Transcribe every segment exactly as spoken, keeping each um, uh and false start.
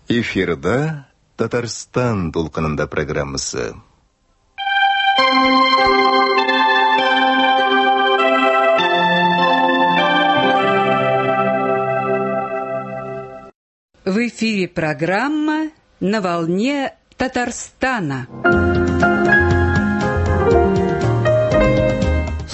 Эфирда Татарстан дулкынында программасы. В эфире программа «На волне Татарстана».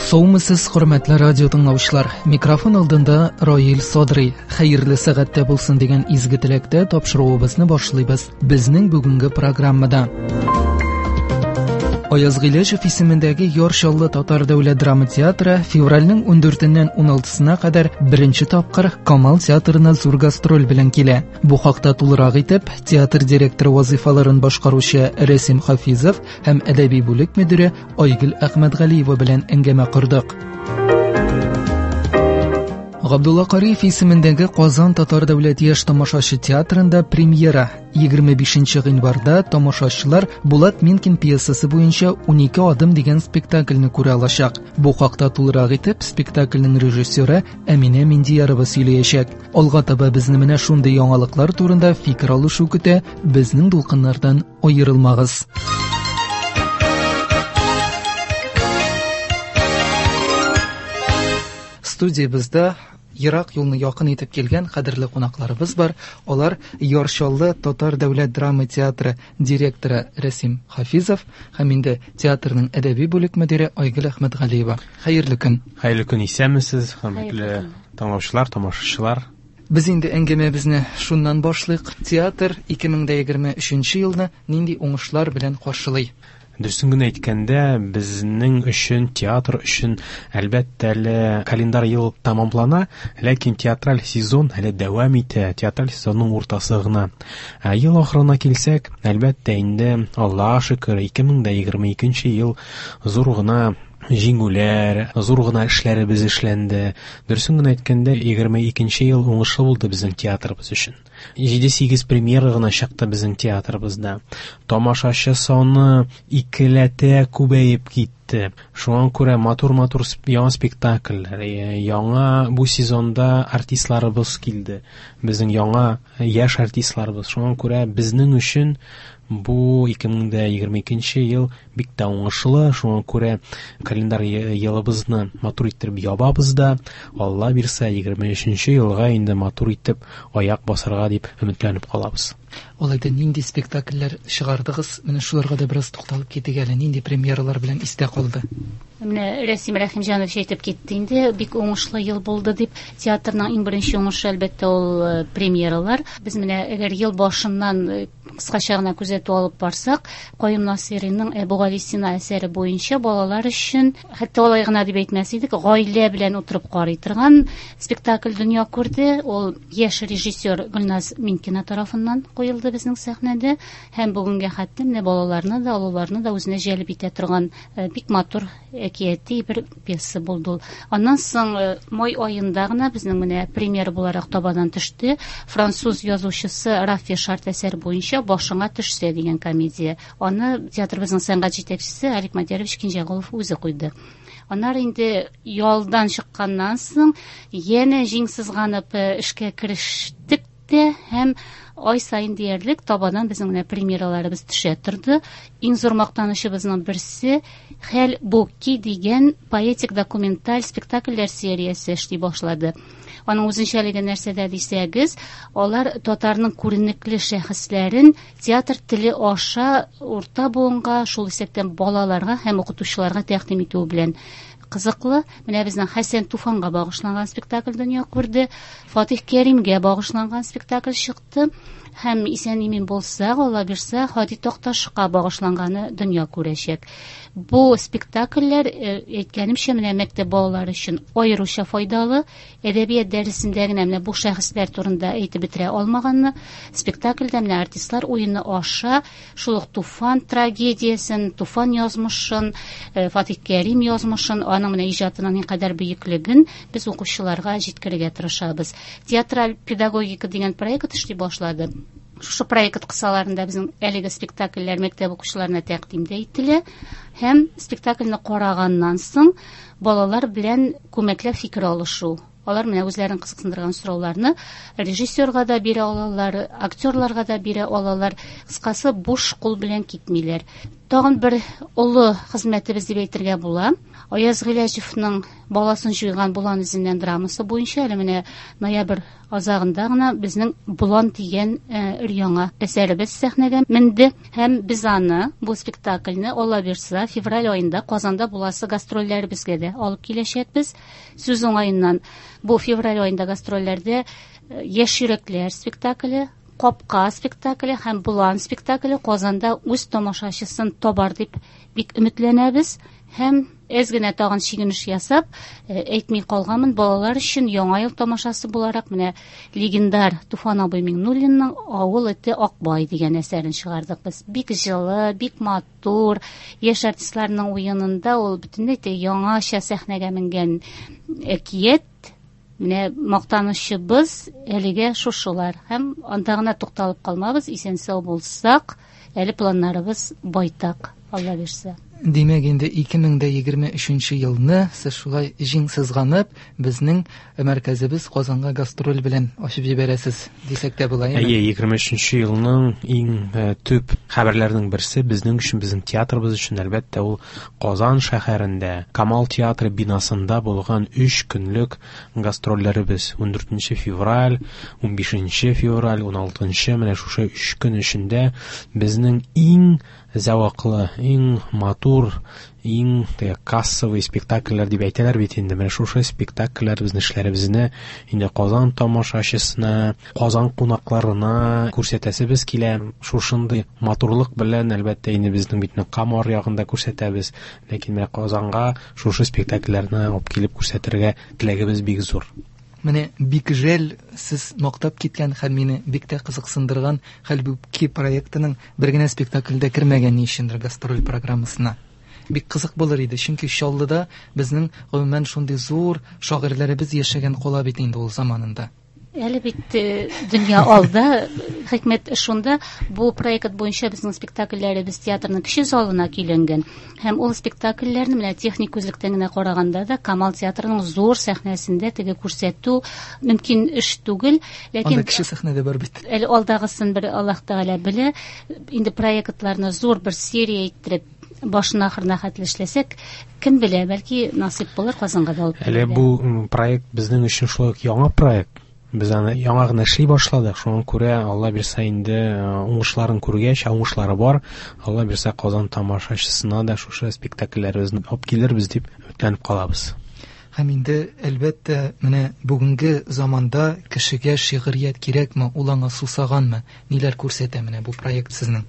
Саумысыз, хөрмәтле радио тыңлаучылар. Микрофон алдында Раил Садрый. Хәерле сәгатьтә булсын дигән изге теләктә тапшыруыбызны башлыйбыз. Безнең бүгенге программада Аяз Гыйләҗев исемендәге Яр Чаллы Татар дәүләт драма театры февральнең ундүртеннән уналтысына кадәр беренче тапкыр Камал театрына зур гастроль белән килә. Бу хакта тулырак итеп театр директоры вазифаларын башкаручы Рәсим Хафизов һәм әдәби бүлек мөдире Айгөл Әхмәтгалиева белән әңгәмә кордык. Габдулла Кариев исемендәге Казан Татар дәүләт яшь тамашачы театрында премьера. Егерме бишенче гыйнварда тамашачылар Булат Минкин пьесасы буенча унике адым дигән спектакльне күрә алачак. Бу хакта тулырак итеп спектакльнең режиссеры Әминә Миндиярова сөйләячәк. Алга таба безне менә шундый яңалыклар турында фикер алышу көтә. Безнең дулкыннардан аерылмагыз. Студиябездә ерак юлны якын итеп килгән кадерле кунакларыбыз бар. Алар Яр Чаллы Татар дәүләт драма театры директоры Рәсим Хафизов һәм инде театрның әдәби бүлек мөдире Айгөл Әхмәтгалиева. Хәерле көн. Хәерле көн, исәнмесез, хөрмәтле тыңлаучылар, тамашачылар. Без инде әңгәмәбезне шуннан башлыйк. Театр ике мең дә егерме өченче елны нинди уңышлар белән каршылый? Дөресен генә әйткәндә, безнең өчен, театр өчен, әлбәттә, әле календар ел тәмамлана, ләкин театраль сезон әле дәвам итә, театраль сезонның уртасы гына. Ә ел ахырына килсәк, әлбәттә, инде Аллаһка шөкер, ике мең дә егерме икенче ел зур гына җиңүләр, зур гына эшләребез эшләнде. Дөресен генә әйткәндә, егерме икенче ел уңышлы булды безнең театрыбыз өчен. Җиде-сигез премьера гына чыкты безнең театрыбызда. Тамашачы саны икеләтә күбәеп китте. Шуңа күрә матур-матур яңа спектакльләр, яңа бу сезонда артистларыбыз килде. Безнең яңа яшь артистларыбыз. Шуңа күрә безнең өчен бу ике мең дә егерме икенче ел бик тә уңышлы. Шуңа күрә календар елыбызны матур иттереп ябабыз да, Алла бирсә, егерме өченче елга инде матур итеп аяк басарга дип өметләнеп калабыз. Алай да нинди спектакльләр чыгардыгыз? Менә шуларга да бераз тукталып китик әле. Нинди премьералар белән истә калды? Менә Рәсим Рәхимҗанович әйтеп китте инде, бик уңышлы ел булды дип. Театрның иң беренче уңышы әлбәттә ул премьералар. Без менә әгәр ел башыннан кыскача гына күзәтү алып барсак, Каюм Насыйриның Әбүгалисина әсәре буенча балалар өчен, хәтта алай гына дип әйтмәс идек, гаилә белән утырып карый торган спектакль дөнья күрде. Ул яшь режиссер Гөлназ Минкина тарафыннан куелды безнең сәхнәдә һәм бүгенгә хәтле менә балаларны да, олыларны да үзенә җәлеп итә торган бик матур әкияти бер пьеса булды ул. Аннан соң май аенда гына безнең менә премьера буларак табадан төште француз язучысы Рафи Шарт әсәре буенча Башыңа төшсә дигән комедия. Аны театрыбызның сәнгать җитәкчесе Алик Мадярович Кинҗәгулов үзе куйды. Аннары инде ялдан чыкканнан соң янә җиң сызганып эшкә керештек тә һәм ай саен диярлек табадан безнең менә премьераларыбыз төшә торды. Иң зур мактанычыбызның берсе Хәл Бокки дигән поэтик документаль спектакльләр сериясе эшли башлады. Аның үзенчәлеге нәрсәдә дисәгез, алар татарның күренекле шәхесләрен театр теле аша урта буынга, шул исәптән балаларга һәм укытучыларга тәкъдим итү белән кызыклы. Менә безнең Хәсән Туфанга багышланган спектакль дөнья күрде, Фатих Кәримгә багышланган спектакль чыкты һәм исән-имин булсак, Алла бирсә, Һади Такташка багышланганы дөнья күрәчәк. Бу спектакльләр, әйткәнемчә, менә мәктәп балалары өчен аеруча файдалы. Әдәбият дәресендә генә менә бу шәхесләр турында әйтеп бетерә алмаганны спектакльдә менә артистлар уены аша шул ук Туфан трагедиясен, Туфан язмышын, Фатих Кәрим язмышын, аның менә иҗатының никадәр бөеклеген без укучыларга җиткерергә тырышабыз. Театраль педагогика дигән проект эшли башлады. Шушы проект кысаларында безнең әлеге спектакльләр мәктәп укучыларына тәкъдим дә ителә Һәм спектакльне караганнан соң балалар белән күмәкләп фикер алышу. Алар менә үзләрен кызыксындырган сорауларны режиссерга да бирә алалар, актерларга да бирә алалар. Кыскасы, буш кул белән китмиләр. Тагын бер олы хезмәтебез дип әйтергә була. Аяз Гыйләҗевның «Баласын җуйган болан эзеннән» драмасы буенча әле менә ноябрь азагында гына безнең «Болан» дигән өр-яңа әсәребез сәхнәгә менде. Һәм без аны, бу спектакльне, Алла бирса, февраль аенда Казанда буласы гастрольләребезгә дә алып киләчәкбез. Сүз уңаеннан, бу февраль аенда гастрольләрдә «Яшь йөрәкләр» спектакле, «Капка» спектакле һәм «Болан» спектакле Казанда үз тамашачысын табар дип бик өметләнәбез. Һәм әз генә тагын чигенеш ясап, әйтми калганмын, балалар өчен яңа ел тамашасы буларак менә легендар Туфан абый Миңнуллинның «Авыл эте Акбай» дигән әсәрен чыгардык без. Бик җылы, бик матур, яшь артистларның уенында ул бөтенләй дә яңача сәхнәгә менгән әкият. Менә мактанычыбыз әлегә шушылар. Һәм анда гына тукталып калмабыз, исән-сау булсак, әле планнарыбыз байтак, Алла бирсә. Димәк, инде ике мең дә егерме өченче елны сез шулай җиң сызганып, безнең мәркәзебез Казанга гастроль белән ачып җибәрәсез дисәк тә була, әйеме? Әйе, егерме өченче елның иң төп хәбәрләренең берсе безнең өчен, безнең театрыбыз өчен, әлбәттә, ул Казан шәһәрендә Камал театры бинасында булган өч көнлек гастрольләребез. Ундүртенче февраль, унбишенче февраль, уналтынчы, менә шушы өч көн эчендә безнең иң зәвыклы, иң матур, иң кассовый спектакльләр дип әйтәләр бит инде. Менә шушы спектакльләр безнең эшләребезне инде Казан тамашачысына, Казан кунакларына күрсәтәсебез килә. Шушындый матурлык белән, әлбәттә, инде безнең бит Кама аръягында күрсәтәбез, ләкин менә Казанга шушы спектакльләрне алып килеп күрсәтергә теләгебез бик зур. Менә бик жәл сез мактап киткән һәм мине бик тә кызыксындырган Хәлбуки проектының бер генә спектакльдә кермәгән ни өчендер гастроль программасына. Бик кызык булыр иде, чөнки Чаллыда безнең гомумән шундый зур шагыйрьләребез яшәгән кала бит инде ул заманында. Әле бит дөнья алда, хикмәт шунда, бу проект буенча безнең спектакльләребез театрның кече залына көйләнгән. Һәм ул спектакльләрне менә техник күзлектән генә караганда да Камал театрының зур сәхнәсендә теге күрсәтү мөмкин эш түгел, ләкин анда кече сәхнәдә бар бит. Әле алдагысын бер Аллаһ Тәгалә белә. Инде проектларны зур бер серия иттереп башына ахырына хәтле эшләсәк, кем белә, бәлки насыйп булыр Казанга да алып Әле бу проект безнең өчен шулай ук яңа проект. Без аны яңа гына эшли башладык. Шуңа күрә Алла бирсә инде уңышларын күргәч, уңышлары бар. Алла бирсә Казан тамашачысына да шушы спектакльләребезне алып килербез дип өметләнеп калабыз. Һәм инде әлбәттә, менә бүгенге заманда кешегә шигърият кирәкме, ул аңа сусаганмы? Ниләр күрсәтә менә бу проект сезнең?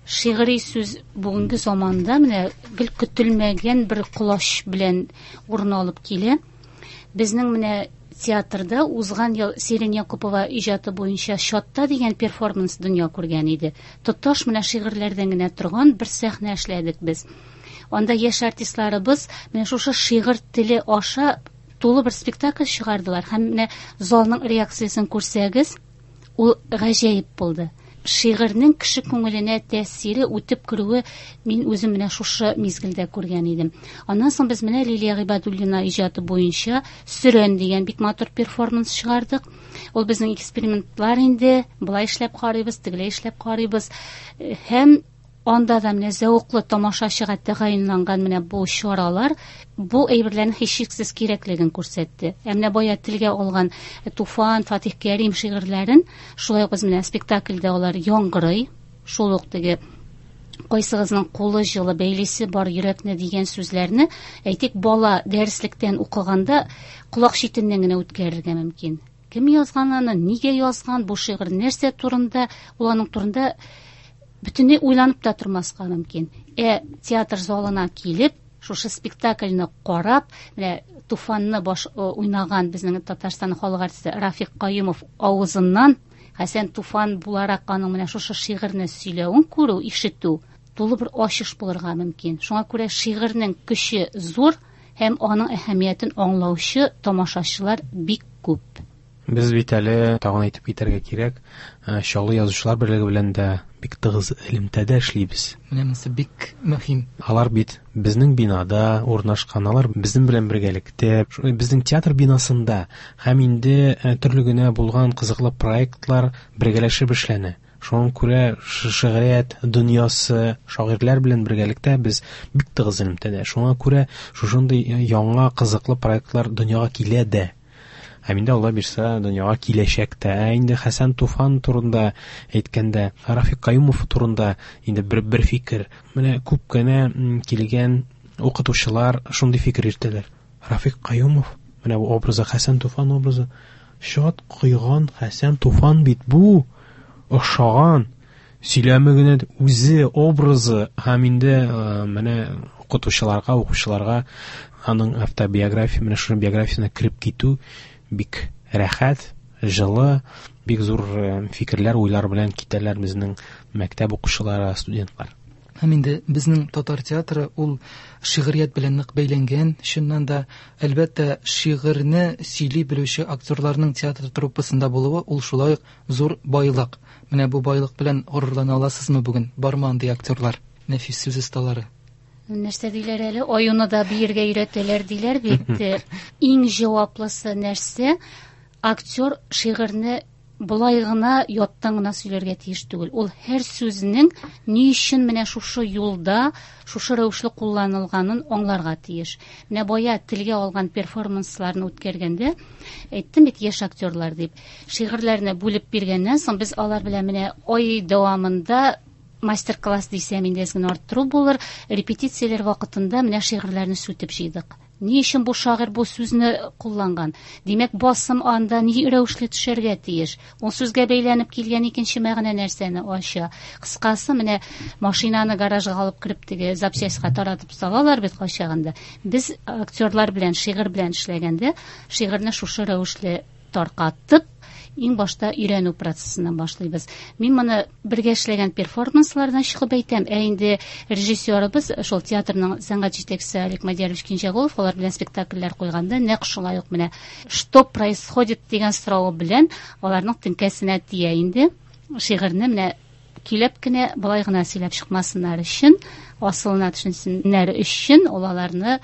Шигъри сүз бүгенге заманда менә гел көтелмәгән бер колач белән урын алып килә. Безнең менә театрда узган ел Сирин Якупова иҗаты буенча «Чатта» дигән перформанс дөнья күргән иде. Тоташ менә шигырьләрдән генә торган бер сәхнә эшләдек без. Анда яшь артистларыбыз менә шушы шигырь теле аша тулы бер спектакль чыгардылар. Һәм менә залның реакциясен күрсәгез, ул гаҗәеп булды. Шигырьнең кеше күңеленә тәэсире үтеп керүе мин үзем менә шушы мизгелдә күргән идем. Аннан соң без менә Лилия Гыйбадуллина иҗаты буенча «Сөрән» дигән бик матур перформанс чыгардык. Ул безнең экспериментлар инде, болай эшләп карыйбыз, тегеләй эшләп карыйбыз. Һәм анда да менә зәвыклы тамашачыга тәгаенланган менә бу чаралар бу әйберләрнең һичшиксез кирәклеген күрсәтте. Ә менә бая телгә алган Туфан, Фатих Кәрим шигырьләрен шулай ук без менә спектакльдә алар яңгырый. Шул ук теге кайсыгызның кулы җылы, бәйлесе бар йөрәкне дигән сүзләрне, әйтик, бала дәреслектән укыганда колак читеннән генә үткәрергә мөмкин. Кем язган аны, нигә язган, бу шигырь нәрсә турында, ул аның турында бөтенләй уйланып та тормаска мөмкин. Ә театр залына килеп, шушы спектакльне карап, менә Туфанны баш уйнаган безнең Татарстан халык артисты Рафик Каюмов авызыннан Хәсән Туфан буларак аның менә шушы шигырьне сөйләвен күрү, ишетү тулы бер ачыш булырга мөмкин. Шуңа күрә шигырьнең көче зур һәм аның әһәмиятен аңлаучы тамашачылар бик күп. Без бит әле тагын әйтеп китәргә кирәк, Чаллы язучылар берлеге белән дә бик тыгыз элемтәдә эшлибез. Менә монысы бик мөһим. Алар бит безнең бинада урнашкан, алар безнең белән бергәлектә, безнең театр бинасында һәм инде төрле генә булган кызыклы проектлар бергәләшеп эшләнә. Шуңа күрә шигърият дөньясы, шагыйрьләр белән бергәлектә без бик тыгыз элемтәдә. Шуңа күрә шушындый яңа кызыклы проектлар дөньяга килә дә. Һәм инде Алла бирсә, дөньяга киләчәк тә. Ә инде Хәсән Туфан турында әйткәндә, Рафик Каюмов турында инде бер, бер фикер. Менә күп кенә килгән укытучылар шундый фикер йөртәләр. Рафик Каюмов, менә бу образы, Хәсән Туфан образы, чат койган Хәсән Туфан бит бу, охшаган, сөйләме генә үзе образы һәм инде менә укытучыларга, укучыларга аның автобиография, менә шуның биографиясенә кереп китү бик рәхәт, җылы, бик зур фикерләр, уйлар белән китәләр безнең мәктәп укучылары, студентлар. Һәм инде безнең татар театры ул шигърият белән нык бәйләнгән. Чыннан да, әлбәттә, шигырьне сөйли белүче актерларның театр труппасында булуы ул шулай ук зур байлык. Менә бу байлык белән горурлана аласызмы бүген? Бармы андый актерлар, нәфис сүз осталары? Нәрсә диләр әле? Аюны да биергә өйрәтәләр диләр бит. Иң җаваплысы нәрсә? Актер шигырьне болай гына яттан гына сөйләргә тиеш түгел. Ул һәр сүзнең ни өчен менә шушы юлда, шушы рәвешле кулланылганын аңларга тиеш. Менә бая телгә алган перформансларны үткәргәндә, әйттем бит яшь актерлар дип, шигырьләрне бүлеп биргәннән соң без алар белән менә ай дәвамында мастер-класс дисәм инде әз генә арттыру булыр, репетицияләр вакытында менә шигырьләрне сүтеп җыйдык. Ни өчен бу шагыйрь бу сүзне кулланган? Димәк, басым анда ни рәвешле төшәргә тиеш? Ул сүзгә бәйләнеп килгән икенче мәгънә нәрсәне ача? Кыскасы, менә машинаны гаражга алып кереп теге запчастька таратып салалар бит кайчагында. Без актерлар белән, шигырь белән эшләгәндә, шигырьне шушы рәвешле таркатып, иң башта өйрәнү процессыннан башлыйбыз. Мин моны бергә эшләгән перформанслардан чыгып әйтәм. Ә инде режиссерыбыз, шул театрның сәнгать җитәкчесе Олег Мадиярович Кинҗәгулов, алар белән спектакльләр куйганда нәкъ шулай ук менә что происходит дигән соравы белән аларның теңкәсенә тия инде. Шигырьне менә килеп кенә болай гына сөйләп чыкмасыннар өчен, асылына төшенсеннәр өчен ул аларны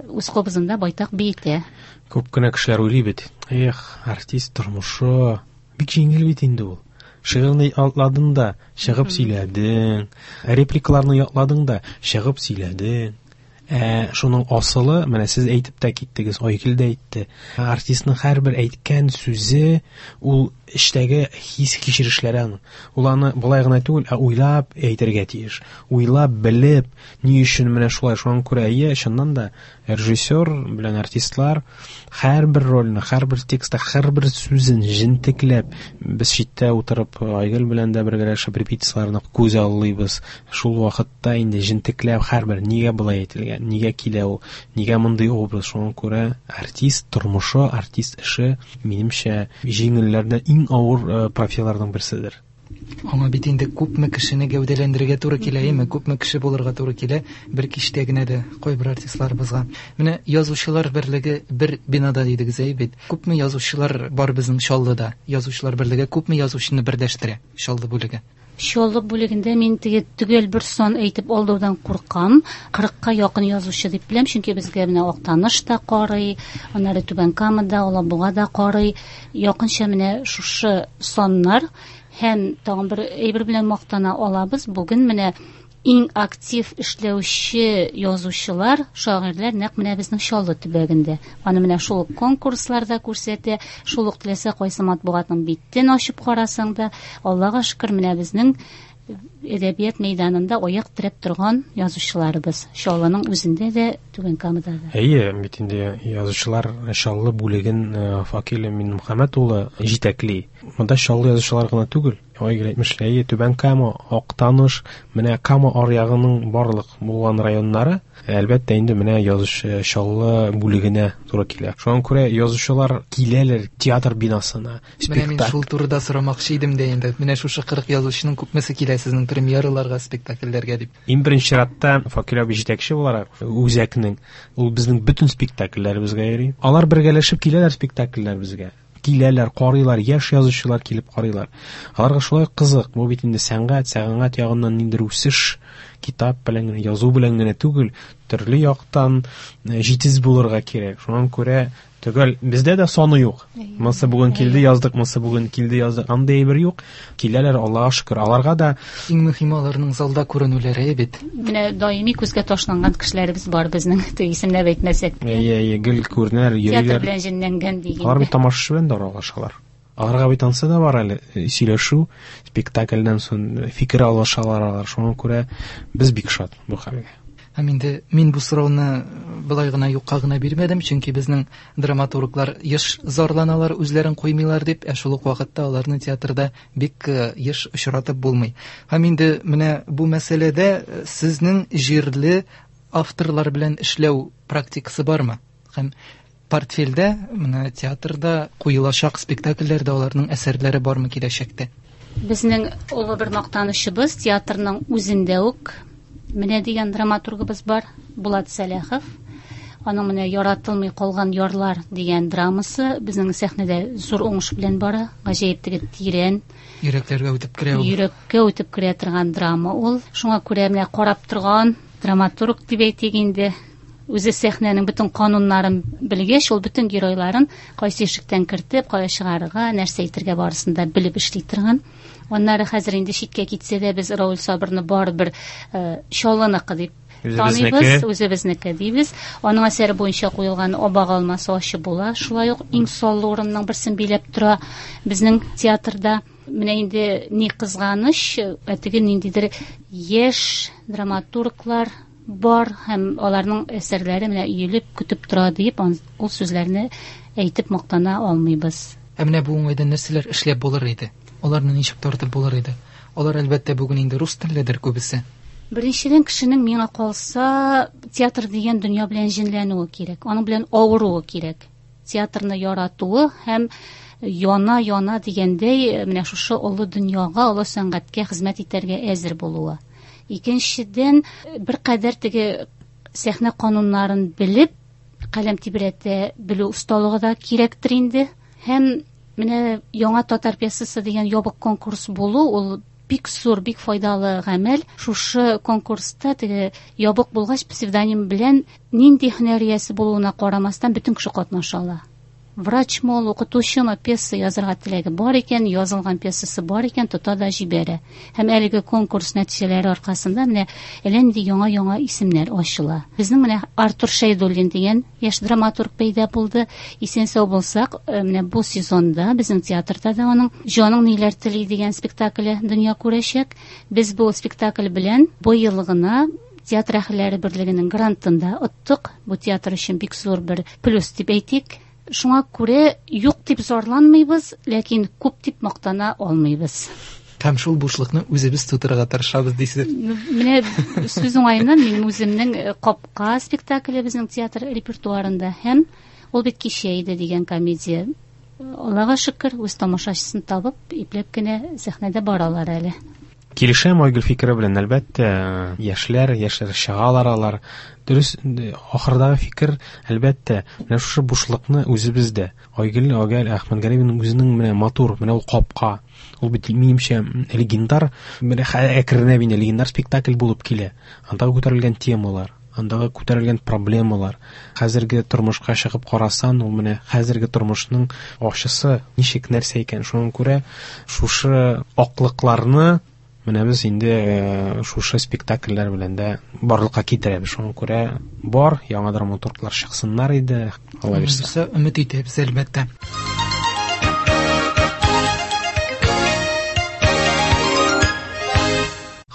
үз кобызында байтак биетә. Күп кенә кешеләр уйлый бит. Эх, артист тормышы бик җиңел бит инде ул. Шигырьне ятладың да, чыгып сөйләдең. Репликаларны ятладың да, чыгып сөйләдең. Ә шуның асылы, менә сез әйтеп тә киттегез, Айгөл дә әйтте. Артистның һәрбер әйткән сүзе ул эчтәге хис кичерешләре аның. Ул аны болай гына түгел, ә уйлап әйтергә тиеш. Уйлап, белеп, ни өчен менә шулай. Шуңа күрә, әйе, чыннан да режиссер белән артистлар һәрбер рольне, һәрбер текстта, һәрбер сүзен җентекләп, без читтә утырып Айгөл белән дә бергәләшеп репетицияләрне күз аллыйбыз. Шул вакытта инде җентекләп һәрбер нигә болай әйтелгән, нигә килә ул, нигә мондый образ. Шуңа күрә артист тормышы, артист эше, минемчә, җиңелләрдән иң авыр профессияләрнең берседер. Аңа бит инде күпме кешене гәүдәләндерергә туры килә, әйме? Күпме кеше булырга туры килә бер кичтә генә дә кайбер артистларыбызга. Менә язучылар берлеге бер бинада дидегез, әй бит. Күпме язучылар бар безнең Чаллыда? Язучылар берлеге күпме язучыны берләштерә Чаллы бүлеге? Чаллы бүлегендә мин теге төгәл бер сан әйтеп алдаудан куркам. Кырыкка якын язучы дип беләм, чөнки безгә менә Актаныш та карый, аннары Түбән Камада, Алабуга да карый. Якынча менә шушы саннар һәм тагын бер әйбер белән мактана алабыз. Бүген менә иң актив эшләүче язучылар, шагыйрьләр нәкъ менә безнең Чаллы төбәгендә. Аны менә шул ук конкурсларда күрсәтә, шул ук теләсә кайсы матбугатның битен ачып карасаң да, Аллага шөкер, менә безнең әдәбият мәйданында аяк терәп торган язучыларыбыз Чаллының үзендә дә, Түбән Камада да. Әйе, бит инде язучылар Чаллы бүлеген Факил Минмөхәммәт улы җитәкли. Монда Чаллы язучылар гына түгел, Айгөл әйтмешли, әйе, Түбән Кама, Актаныш, менә Кама аръягының барлык булган районнары, әлбәттә инде менә язучы Чаллы бүлегенә туры килә. Шуңа күрә язучылар киләләр театр бинасына, Менә мин спектакль. шул турыда сорамакчы идем дә инде. Менә шушы кырык язучының күпмесе килә сезнең премьераларга, спектакльләргә дип? Иң беренче чиратта Факил абый җитәкче буларак үзәкнең, ул безнең бөтен спектакльләребезгә йөри. Алар бергәләшеп киләләр спектакльләребезгә. Киләләр, карыйлар, яшь язучылар килеп карыйлар. Аларга шулай кызык. Бу бит инде сәнгать, сәнгать ягыннан ниндидер үсеш, китап белән генә, язу белән генә түгел, төрле яктан җитез булырга кирәк. Шуңа күрә төгәл бездә дә саны юк. Монысы бүген килде яздык, монысы бүген килде яздык. Андый әйбер юк. Киләләр, Аллаһка шөкер. Аларга да иң мөһиме аларның залда күренүләре бит. Менә даими күзгә ташланган кешеләребез бар безнең, исемләп әйтмәсәк. Әйе, әйе, гел күренәләр, йөриләр. Театр белән җенләнгән дигән. Алар бит тамашачы белән дә аралашалар. Аларга бит ансы да бар әле, сөйләшү, спектакльдән соң фикер алышалар алар. Шуңа күрә без бик шат бу хәлгә. Һәм инде мин бу сорауны былай гына юкка гына бирмәдем, чөнки безнең драматурглар еш зарланалар, үзләрен куймыйлар дип, ә шул ук вакытта аларны театрда бик еш очратып булмый. Һәм инде менә бу мәсьәләдә сезнең җирле авторлар белән эшләү практикасы бармы? Һәм портфельдә, менә театрда куелачак спектакльләрдә аларның әсәрләре бармы киләчәктә? Безнең олы бер мактанычыбыз театрның үзендә үк менә дигән драматургыбыз бар, Булат Сәләхов. Аның менә Яратылмый калган ярлар дигән драмасы безнең сәхнәдә зур уңыш белән бара. Гаҗәеп теге тирән, йөрәкләргә үтеп керә ул. Йөрәккә үтеп керә торган драма ул. Шуңа күрә менә карап торган драматург дип әйтик инде. Үзе сәхнәнең бөтен кануннарын белгәч, ул бөтен геройларын кайсы ишектән кертеп, кая чыгарырга, нәрсә әйтергә барысын да белеп эшли торган. Аннары хәзер инде читкә китсә дә без Рауль Сабырны барыбер Чаллыныкы дип таныйбыз, үзебезнеке дибез. Аның әсәре буенча куелган Абак алмасы ачы була. Шулай ук иң саллы урынның берсен биләп тора безнең театрда. Менә инде ни кызганыч, ә теге ниндидер яшь драматурглар бар һәм аларның әсәрләре менә өелеп көтеп тора дип ул сүзләрне әйтеп мактана алмыйбыз. Ә менә бу уңайдан нәрсәләр эшләп булыр иде? Аларны ничек тартып булыр иде? Алар әлбәттә бүген инде рус телледер күбесе. Беренчедән, кешенең миңа калса театр дигән дөнья белән җенләнүе кирәк, аның белән авыруы кирәк. Театрны яратуы һәм яна-яна дигәндәй менә шушы олы дөньяга, олы сәнгатькә хезмәт итәргә әзер булуы. Икенчедән, бер кадәр теге сәхнә кануннарын белеп, каләм тибрәтә белү осталыгы да кирәктер инде. Һәм менә яңа татар пьесасы дигән ябык конкурс булу, ул бик зур, бик файдалы гамәл. Шушы конкурста теге ябык булгач псевдоним белән нинди һөнәр иясе булуына карамастан бөтен кеше катнаша ала. Врачмы ул, укытучымы, пьеса язырга теләге бар икән, язылган пьесасы бар икән, тота да җибәрә. Һәм әлеге конкурс нәтиҗәләре аркасында менә әллә нинди яңа-яңа исемнәр ачыла. Безнең менә Артур Шәйдуллин дигән яшь драматург пәйда булды. Исән-сау булсак, менә бу сезонда безнең театрда да аның Җаның ниләр тели дигән спектакле дөнья күрәчәк. Без бу спектакль белән быел гына театр әһелләре берлегенең грантын да оттык. Бу театр өчен бик зур бер плюс дип әйтик. Шуңа күрә юк дип зарланмыйбыз, ләкин күп дип мактана алмыйбыз. Һәм шул бушлыкны үзебез тутырырга тырышабыз дисез. Менә сүз уңаеннан минем үземнең Капка спектакле безнең театр репертуарында һәм ул бит кичә иде дигән комедия. Аллага шөкер, үз тамашачысын табып, ипләп кенә сәхнәдә баралар әле. Килешәм Айгөл фикере белән, әлбәттә, яшьләр, яшьләр чыгалар алар. Дөрес, ахырдагы фикер, әлбәттә, менә шушы бушлыкны үзебездә. Айгөл Агәл Әхмәтгалиевның үзенең менә матур, менә ул Капка. Ул бит минемчә легендар, менә әкренләп инде легендар спектакль булып килә. Андагы күтәрелгән темалар, андагы күтәрелгән проблемалар. Хәзерге тормышка чыгып карасан, ул менә хәзерге тормышның ачысы ничек нәрсә икән. Шуңа күрә шушы аклыкларны менә без инде шушы спектакльләр белән дә барлыкка китерәбез. Шуңа күрә бар яңа драматурглар чыксыннар иде, Алла бирсә. Өмет итәбез, әлбәттә.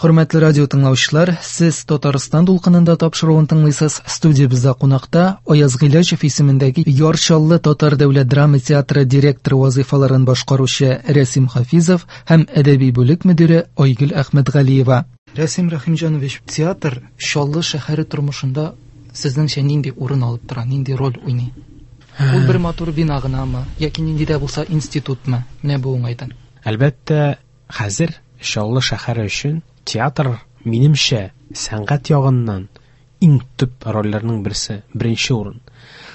Хөрмәтле радио тыңлаучылар, сез Татарстан дулкынында тапшыруын тыңлыйсыз. Студиябездә кунакта Аяз Гыйләҗев исемендәге Яр Чаллы Татар дәүләт драма театры директоры вазыйфаларын башкаручы Рәсим Хафизов һәм әдәби бүлек мөдире Айгөл Әхмәтгалиева. Рәсим Рәхимҗанович, театр Чаллы шәһәре тормышында сезнеңчә нинди урын алып тора, нинди роль уйный? Ул бер матур бина гынамы яки нинди дә булса институтмы? Менә бу уңайдан. Әлбәттә, хәзер Чаллы шәһәре өчен театр, минемчә, сәнгать ягыннан иң төп рольләрнең берсе, беренче урын.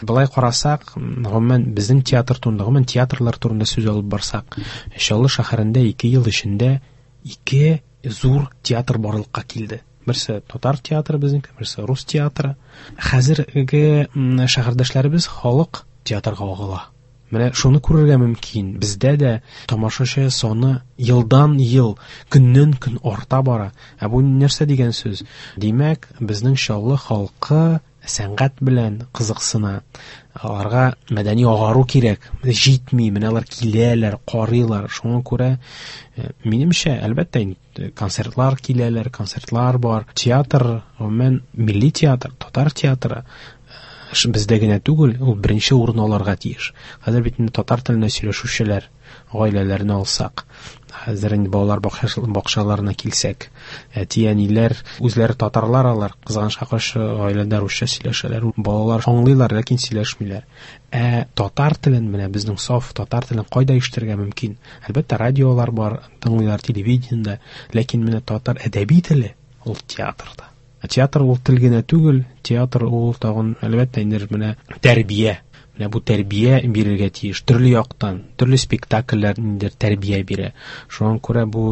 Былай карасак, гомумән безнең театр турында, гомумән театрлар турында сүз алып барсак, Чаллы шәһәрендә ике ел эчендә ике зур театр барлыкка килде. Берсе татар театры безнеке, берсе рус театры. Хәзерге шәһәрдәшләребез халык театрга агыла. Менә шуны күрергә мөмкин. Бездә дә тамашачы саны елдан ел, көннән көн арта бара. Ә бу нәрсә дигән сүз? Димәк, безнең Чаллы халкы сәнгать белән кызыксына. Аларга мәдәни агару кирәк. Җитми, менә алар киләләр, карыйлар. Шуңа күрә, минемчә, әлбәттә, концертлар киләләр, концертлар бар. Театр, гомумән, милли театр, татар театры бездә генә түгел, ул беренче урын алырга тиеш. Хәзер бит инде татар телендә сөйләшүчеләр гаиләләрне алсак, хәзер инде балалар бакчаларына килсәк, әти-әниләр үзләре татарлар алар, кызганычка каршы гаиләдә русча сөйләшәләр, балалар аңлыйлар, ләкин сөйләшмиләр. Ә татар телен, менә безнең саф татар телен кайда ишетергә мөмкин? Әлбәттә, радиолар бар, тыңлыйлар телевидениедә, ләкин менә татар әдәби теле ул театрда. Театр ул тел генә түгел, театр ул тагын, әлбәттә, инде менә тәрбия. Менә бу тәрбия бирергә тиеш. Төрле яктан, төрле спектакльләр инде тәрбия бирә. Шуңа күрә бу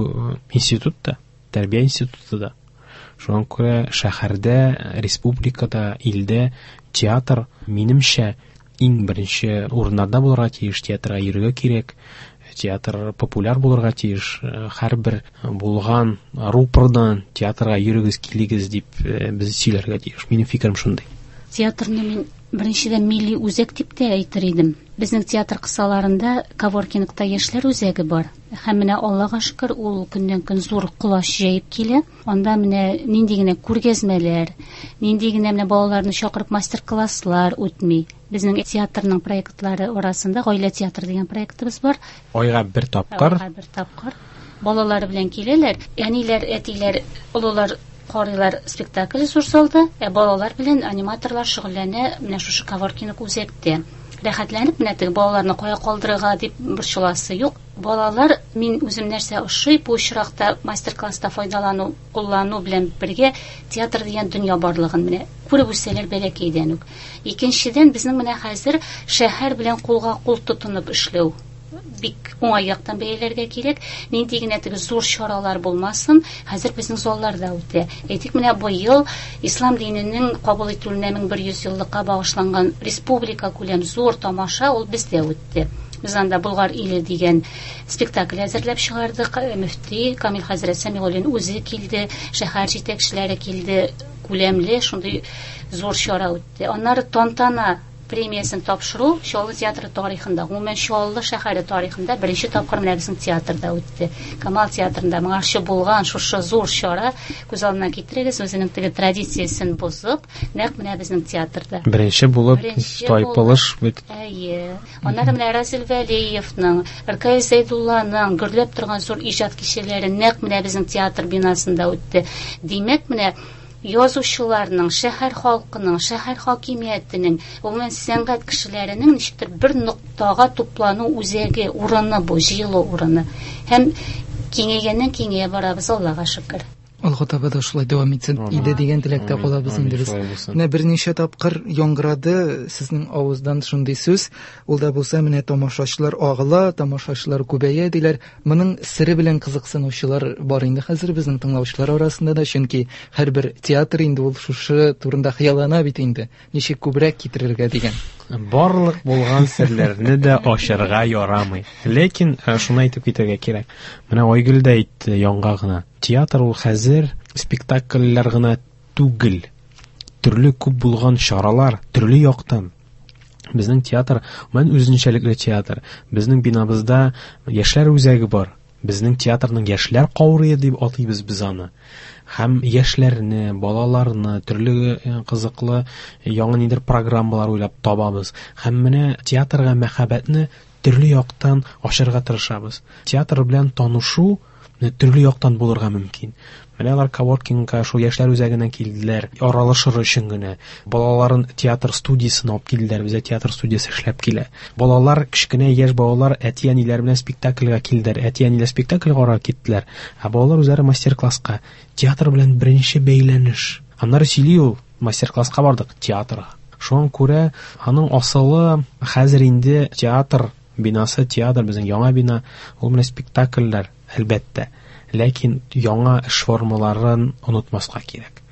институт та, тәрбия институты да. Шуңа күрә шәһәрдә, республикада, илдә театр, минемчә, иң беренче урыннарда булырга тиеш, театрга йөрергә кирәк. Театр популяр булырга тиеш. Һәрбер булган рупордан театрга йөрегез, килегез дип без сөйләргә тиеш. Минем фикерем шундый. Театрны мин беренчедән милли үзәк дип тә әйтер идем. Безнең театр кысаларында коворкингта яшьләр үзәге бар. Һәм менә Аллага шөкер, ул көннән-көн зур колач җәеп килә. Анда менә нинди генә күргәзмәләр, нинди генә менә балаларны чакырып мастер-класслар үтми. Безнең театрның проектлары арасында Гаилә театры дигән проектыбыз бар. Айга бер тапкыр. Айга бер тапкыр. Балалар белән киләләр. Әниләр, әтиләр, олылар карыйлар спектакль зур залда, ә балалар белән аниматорлар шөгыльләнә менә шушы коворкинг үзәктә. Рәхәтләнеп менә теге балаларны кая калдырырга дип борчыласы юк. Балалар, мин үзем нәрсә ошый, бу очракта мастер-класста файдалану, куллану белән бергә театр дигән дөнья барлыгын менә күреп үсәләр бәләкәйдән үк. Икенчедән, безнең менә хәзер шәһәр белән кулга кул тотынып эшләү бик уңай яктан бәяләргә кирәк. Нинди генә теге зур чаралар булмасын, хәзер безнең залларда үтә. Әйтик, менә быел ислам диненең кабул ителүенә мең бер йөз еллыкка багышланган республика күләм зур тамаша ул бездә үтте. Без анда Болгар иле дигән спектакль әзерләп чыгардык. Мөфти Камил хәзрәт Сәмигуллин үзе килде, шәһәр җитәкчеләре килде. Күләмле шундый зур чара үтте. Аннары тантана премиясен тапшыру Чаллы театры тарихында, гомумән Чаллы шәһәре тарихында беренче тапкыр менә безнең театрда үтте. Камал театрында моңарчы булган шушы зур чара, күз алдына китерегез, үзенең теге традициясен бозып, нәкъ менә безнең театрда. Беренче булып тайпылыш бит. Әйе. Аннары менә Разил Вәлиевның, Ркаил Зәйдулланың гөрләп торган зур иҗат кичәләре нәкъ менә безнең театр бинасында үтте. Димәк, менә язучыларның, шәһәр халкының, шәһәр хакимиятенең, гомумән сәнгать кешеләренең ничектер бер ноктага туплану үзәге, урыны бу, җыелу урыны. Һәм киңәйгәннән киңәя барабыз, Аллага шөкер. Алга таба да шулай дәвам итсен иде дигән теләктә калабыз инде без. Менә берничә тапкыр яңгырады сезнең авыздан шундый сүз. Ул да булса менә тамашачылар агыла, тамашачылар күбәя диләр. Моның сере белән кызыксынучылар бар инде хәзер безнең тыңлаучылар арасында да, чөнки һәрбер театр инде ул шушы турында хыяллана бит инде. Ничек күбрәк китерергә дигән. Барлык булган серләрне дә ачарга ярамый. Ләкин шуны әйтеп китәргә кирәк. Менә Айгөл дә әйтте янга гына. Театр ул хәзер спектакльләр гына түгел. Төрле күп булган чаралар, төрле яктан. Безнең театр, мен үзенчәлекле театр. Безнең бинабызда яшьләр үзәге бар. Безнең театрның яшьләр каурые дип атыйбыз без аны. Һәм яшьләрне, балаларны төрле кызыклы яңа нидер программалар уйлап табабыз. Һәм менә театрга мәхәббәтне төрле яктан ачарга тырышабыз. Театр белән танышу төрле яктан булырга мөмкин. Менә алар коворкингка шул яшьләр үзәгенә килделәр, аралашыр өчен генә. Балаларын театр студиясенә алып килделәр, бездә театр студиясе эшләп килә. Балалар, кечкенә яшь балалар әти-әниләр белән спектакльгә килделәр, әти-әниләр спектакль карарга киттеләр, ә балалар үзләре мастер-класска. Театр белән беренче бәйләнеш. Аннары сөйли ул. Мастер-класска бардык театрга. Шуңа күрә аның асылы хәзер инде театр бинасы, театр безнең яңа бина, ул менә спектакльләр, әлбәттә. Ләкин яңа эш формаларын онытмаска кирәк.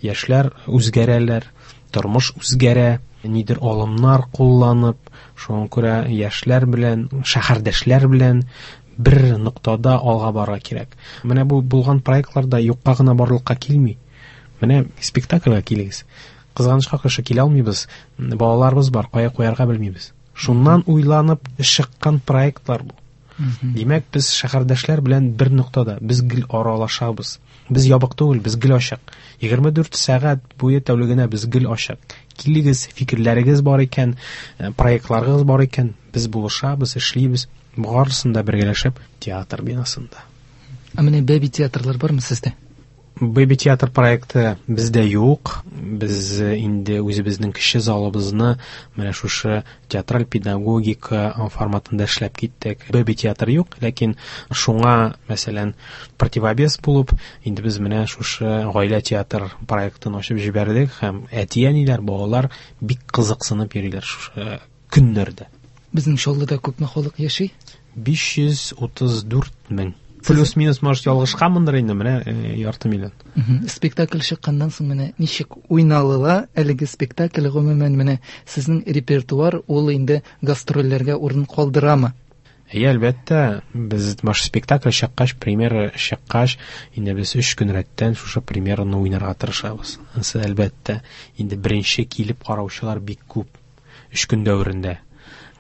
Яшьләр үзгәрәләр, тормыш үзгәрә, нидер алымнар кулланып, шуңа күрә яшьләр белән, шәһәрдәшләр белән бер ноктада алга барырга кирәк. Менә бу булган проектлар да юкка гына барлыкка килми. Менә спектакльгә килегез. Кызганычка каршы килә алмыйбыз. Балаларыбыз бар, кая куярга белмибез. Шуннан уйланып чыккан проектлар бу. Димәк, без шәһәрдәшләр белән бер ноктада, без гел аралашабыз. Без ябык түгел, без гел ачык. егерме дүрт сәгать буе тәүлегенә без гел ачык. Килегез, фикерләрегез бар икән, проектларыгыз бар икән, без булышабыз, эшлибез. Барысын да бергәләшеп театр бинасында. Ә менә бәби театрлар бармы сездә? Бәби театр проекты бездә юк. Без инде үзебезнең кече залыбызны менә шушы театраль педагогика форматында эшләп киттек. Бәби театр юк, ләкин шуңа, мәсәлән, противовес булып, инде без менә шушы гаилә театр проектын ачып җибәрдек һәм әти-әниләр, балалар бик кызыксынып йөриләр шушы көннәрдә. Безнең Чаллыда күпме халык яши? биш йөз утыз дүрт мең. Плюс-минус, может, ялгышканмындыр инде, менә ярты миллион. Спектакль чыкканнан соң менә ничек уйналыла әлеге спектакль, гомумән менә сезнең репертуар ул инде гастрольләргә урын калдырамы? Әйе, әлбәттә, без баш спектакль чыккач, премьера чыккач, инде без өч көн рәттән шушы премьераны уйнарга тырышабыз. Ансы, әлбәттә, инде беренче килеп караучылар бик күп өч көн дәверендә.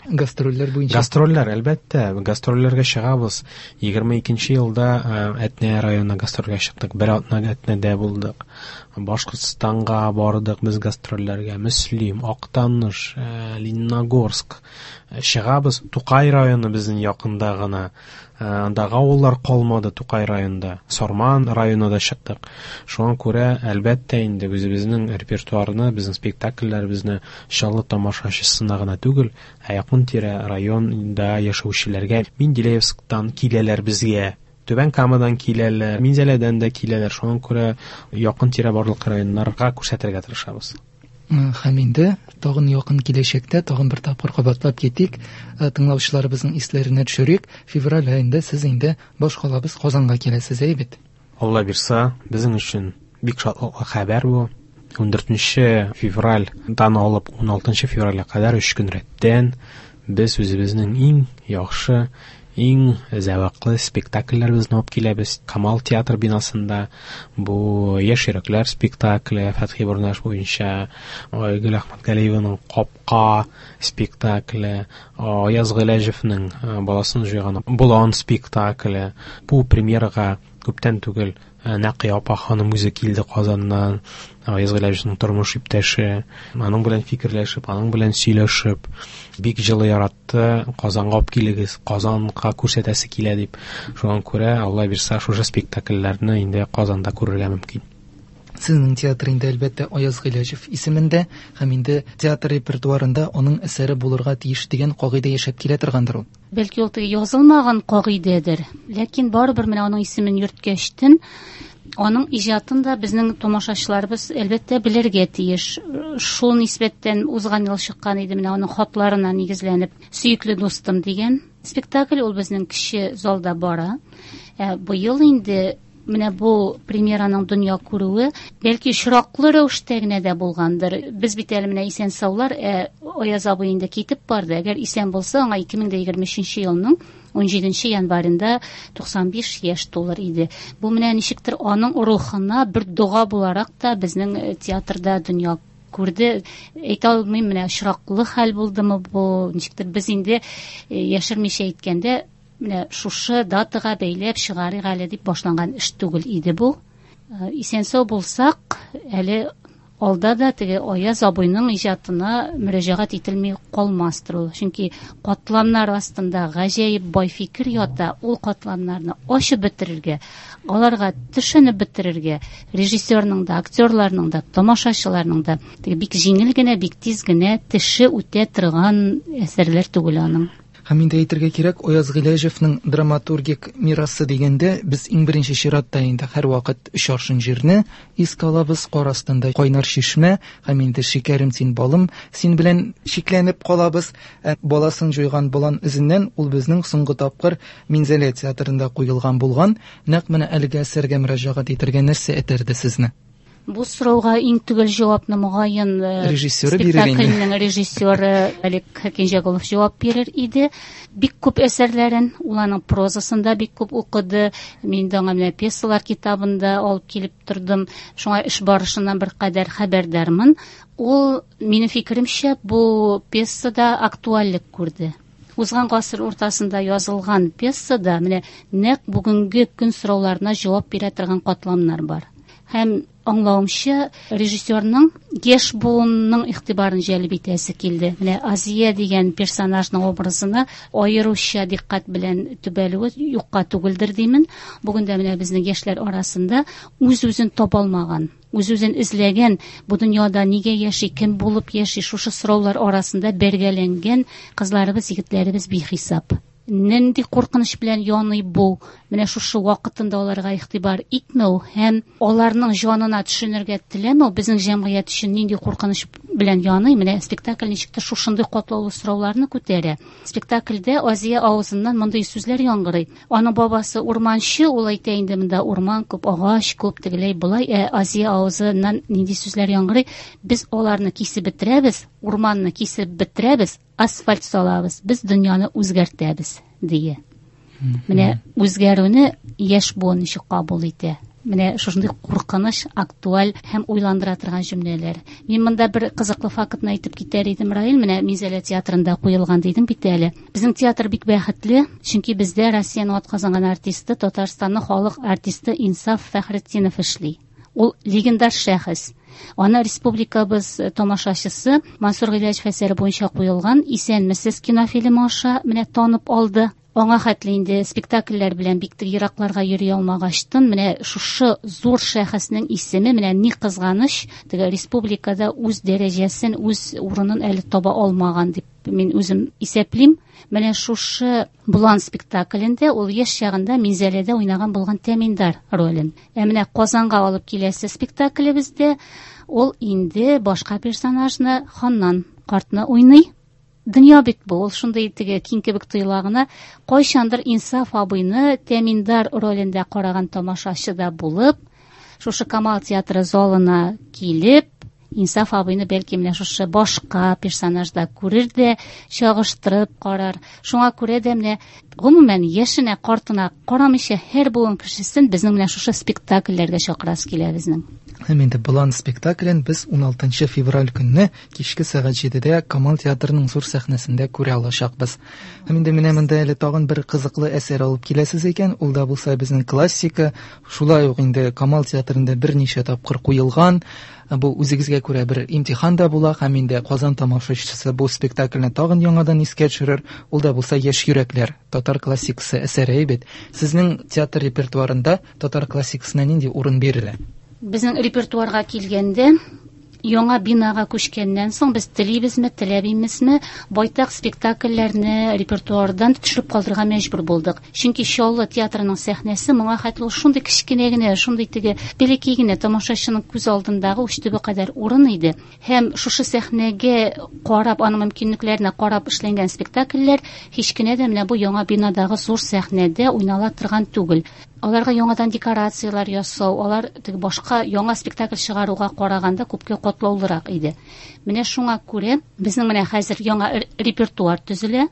Гастрольләр буенча. Гастрольләр, әлбәттә, гастрольләргә чыгабыз. егерме икенче елда Әтнә районына гастрольгә чыктык. Бер атна Әтнәдә булдык. Башкортстанга бардык без гастрольләргә. Мөслим, Актаныш, Лениногорск чыгабыз. Тукай районы безнең якында гына. Андагы авыллар калмады Тукай районында. Сарман районына да чыктык. Шуңа күрә, әлбәттә, инде үзебезнең репертуарны, безнең спектакльләребезне Чаллы тамашачысына гына түгел, ә якын-тирә районда яшәүчеләргә, Менделеевсктан киләләр безгә, Түбән Камадан киләләр, Минзәләдән дә киләләр. Шуңа күрә якын-тирә барлык районнарга күрсәтергә тырышабыз. Һәм инде тагын якын киләчәктә тагын бер тапкыр кабатлап китик, тыңлаучыларыбызның исләренә төшерик. Февраль аенда сез инде башкалабыз Казанга киләсез, әйе бит? Алла бирса, безнең өчен бик шатлыклы хәбәр бу. ун дүртенче февральдан алып ун алтынчы февральгә кадәр өч көн рәттән без үзебезнең иң яхшы, иң зәвыклы спектакльләребезне алып киләбез. Камал театр бинасында бу Яшь йөрәкләр спектакле, Фәтхи Бурнаш буенча, Айгөл Әхмәтгалиеваның Капка спектакле, Аяз Гыйләҗевнең Баласын җуйган Болан спектакле. Бу премьерага күптән түгел Нәкыя апа ханым үзе килде Казаннан, Аяз Гыйләҗевнең тормыш иптәше, аның белән фикерләшеп, аның белән сөйләшеп, бик җылы яратты. Казанга алып килегез, Казанга күрсәтәсе килә дип. Шуңа күрә, Алла бирса, шушы спектакльләрне инде Казанда күрергә мөмкин. Сезнең театр инде, әлбәттә, Аяз Гыйләҗев исемендә һәм инде театр репертуарында аның әсәре булырга тиеш дигән кагыйдә яшәп килә торгандыр ул. Бәлки ул теге язылмаган кагыйдәдер, ләкин барыбер менә аның исемен йөрткәчтен, аның иҗатын да безнең тамашачыларыбыз әлбәттә белергә тиеш. Шул нисбәттән узган ел чыккан иде менә аның хатларына нигезләнеп Сөекле дустым дигән спектакль, ул безнең кече залда бара. Ә быел инде менә бу премьераның дөнья күрүе бәлки очраклы рәвештә генә дә булгандыр. Без бит әле менә исән саулар, ә Аяз абый инде китеп барды. Әгәр исән булса, аңа ике мең дә егерме өченче елның ун җиденче январенда туксан биш яшь тулыр иде. Бу менә ничектер аның рухына бер дога буларак та безнең театрда дөнья күрде. Әйтә алмыйм, менә очраклы хәл булдымы бу, ничектер без инде яшермичә әйткәндә, менә шушы датага бәйләп чыгарыйк әле дип башланган эш түгел иде бу. Исән-сау булсак, әле алда да теге Аяз абыйның иҗатына мөрәҗәгать ителми калмастыр ул. Чөнки катламнар астында гаҗәеп бай фикер ята, ул катламнарны ачып бетерергә, аларга төшенеп бетерергә режиссерның да, актерларның да, тамашачыларның да теге бик җиңел генә, бик тиз генә теше үтә торган әсәрләр түгел аның. Һәм инде әйтергә кирәк, Аяз Гыйләҗевның драматургик мирасы дигәндә без иң беренче чиратта инде һәрвакыт өч аршын җирне искә алабыз, кар астында кайнар чишмә һәм инде шикәрем син балым син белән шикләнеп калабыз. Ә баласын җуйган болан эзеннән ул безнең соңгы тапкыр Минзәлә театрында куелган булган. Нәкъ менә әлеге әсәргә мөрәҗәгать итәргә нәрсә этәрде сезне? Бу сорауга иң төгәл җавапны мөгаен режиссеры бирер инде. Спектакльнең режиссеры Олег Хакимҗаголов җавап бирер иде. Бик күп әсәрләрен, ул аның прозасын да бик күп укыды. Мин дә аңа менә пьесалар китабын да алып килеп тордым. Шуңа эш барышыннан бер кадәр хәбәрдармын. Ул, минем фикеремчә, бу пьесада актуальлек күрде. Узган гасыр уртасында язылган пьесада менә нәкъ бүгенге көн сорауларына җавап бирә торган катламнар бар. Һәм аңлавымча, режиссерның яшь буынның игътибарын җәлеп итәсе килде. Менә Азия дигән персонажның образына аеруча дикъкать белән төбәлүе юкка түгелдер димен. Бүген дә менә безнең яшьләр арасында үз-үзен таба алмаган, үз-үзен эзләгән, бу дөньяда нигә яши, кем булып яши, шушы сораулар арасында бәргәләнгән кызларыбыз, егетләребез бихисап. Нинди куркыныч белән яный бу? Менә шушы вакытында аларга игътибар итмәү һәм аларның җанына төшенергә теләмәү безнең җәмгыять өчен нинди куркыныч белән яный? Менә спектакль ничектер шушындый катлаулы сорауларны күтәрә. Спектакльдә Азия авызыннан мондый сүзләр яңгырый. Аның бабасы урманчы, ул әйтә инде монда урман күп, агач күп, тегеләй болай. Ә Азия авызыннан нинди сүзләр яңгырый? Без аларны кисеп бетерәбез, урманны кисеп бетерәбез, асфальт салабыз, без дөньяны үзгәртәбез, дия. Менә үзгәрүне яшь буын ничек кабул итә? Менә шушындый куркыныч, актуаль һәм уйландыра торган җөмләләр. Мин монда бер кызыклы фактны әйтеп китәр идем, Раил. Менә Минзәлә театрында куелган дидем бит әле. Безнең театр бик бәхетле, чөнки бездә Россиянең атказанган артисты, Татарстанның халык артисты Инсаф Фәхретдинов эшли. Ул легендар шәхес. Аны республикабыз тамашачысы Мансур Гыйләҗев әсәре буенча куелган Исәнмесез кинофильмы аша менә танып алды. Аңа хәтле инде спектакльләр белән бик тә еракларга йөри алмагачтын, менә шушы зур шәхеснең исеме менә ни кызганыч, теге республикада үз дәрәҗәсен, үз урынын әле таба алмаган дип мин үзем исәплим. Менә шушы Булан спектаклендә ул яшь чагында Минзәләдә уйнаган булган Тәминдар ролен. Ә менә Казанга алып киләсе спектаклебездә ул инде башка персонажны, Ханнан картны уйный. Дөнья бит бу, ул шундый теге киң кебек тоела гына. Кайчандыр Инсаф абыйны Тәминдар ролендә караган тамашачы да булып, шушы Камал театры залына килеп, Инсаф абыйны бәлки менә шушы башка персонажда күрер дә, чагыштырып карар. Шуңа күрә дә менә гомумән яшенә, картына карамыйча һәр буын кешесен безнең менә шушы спектакльләргә чакырасы килә безнең. Һәм инде Болан спектаклен без уналтынчы февраль көнне кичке сәгать җидедә Камал театрының зур сәхнәсендә күрә алачакбыз. Һәм инде менә монда әле тагын бер кызыклы әсәр алып киләсез икән, ул да булса безнең классика, шулай ук инде Камал театрында берничә тапкыр куелган. Бу үзегезгә күрә бер имтихан да була, һәм инде Казан тамашачысы бу спектакльне тагын яңадан искә төшерер. Ул да булса Яшь йөрәкләр, татар классикасы әсәре бит. Сезнең театр репертуарында татар классикасына нинди урын бирелә? Безнең репертуарга килгәндә, яңа бинага күчкәннән соң без телибезме, теләмибезме, байтак спектакльләрне репертуардан төшереп калдырырга мәҗбүр булдык. Чөнки Чаллы театрының сәхнәсе моңа хәтле ул шундый кечкенә генә, шундый теге бәләкәй генә тамашачының күз алдындагы уч төбе кадәр урын иде. Һәм шушы сәхнәгә карап, аның мөмкинлекләренә карап эшләнгән спектакльләр һич кенә дә менә бу яңа бинадагы зур сәхнәдә уйнала торган түгел. Аларга яңадан декорацияләр ясау, алар теге башка яңа спектакль чыгаруга караганда күпкә катлаулырак иде. Менә шуңа күрә безнең менә хәзер яңа р-, репертуар төзелә